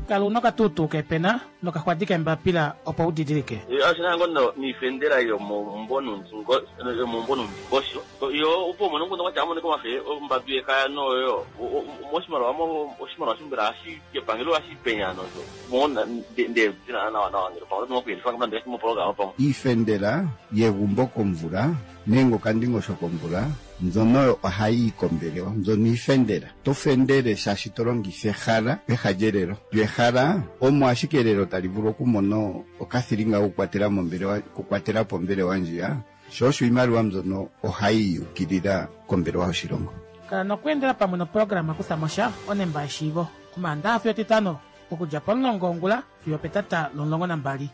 Kala una okatuutuu keepena nokaxwadi keembapila opo u didilike. Oshina ngo niifendela yomomumvo yomumvo nomundingosho yo opo umone nguno kwatya amonike omafe ombadu yekaya noyo moshimaliwa oshimaliwa shimbela hashi epangelo hashi penya nozo mona nde nawa nawa ngele pamwe oto moku yelifa moprograma pamwe. Iifendela yegumbo komvula nenge okandingosho komvula mbyono oyo ohayi yi kombelewa mbyono iifendela. To fendele shaashi to longitha ehala peha lyelelo. Lyo ehala omo ashike elelo tali vulu okumona okathilinga kokukwatela mombelewa okukwatela po ombelewa ndjiya, sho osho iimaliwa mbyono ohayi yukilila kombelewa yoshilongo. Kala nokweendela pamwe noprograma Kutha mo sha onemba yeshiivo Omaandaxa fiyo Etitano okudja pomulongo wongula fiyo opetata lomulongo nambali.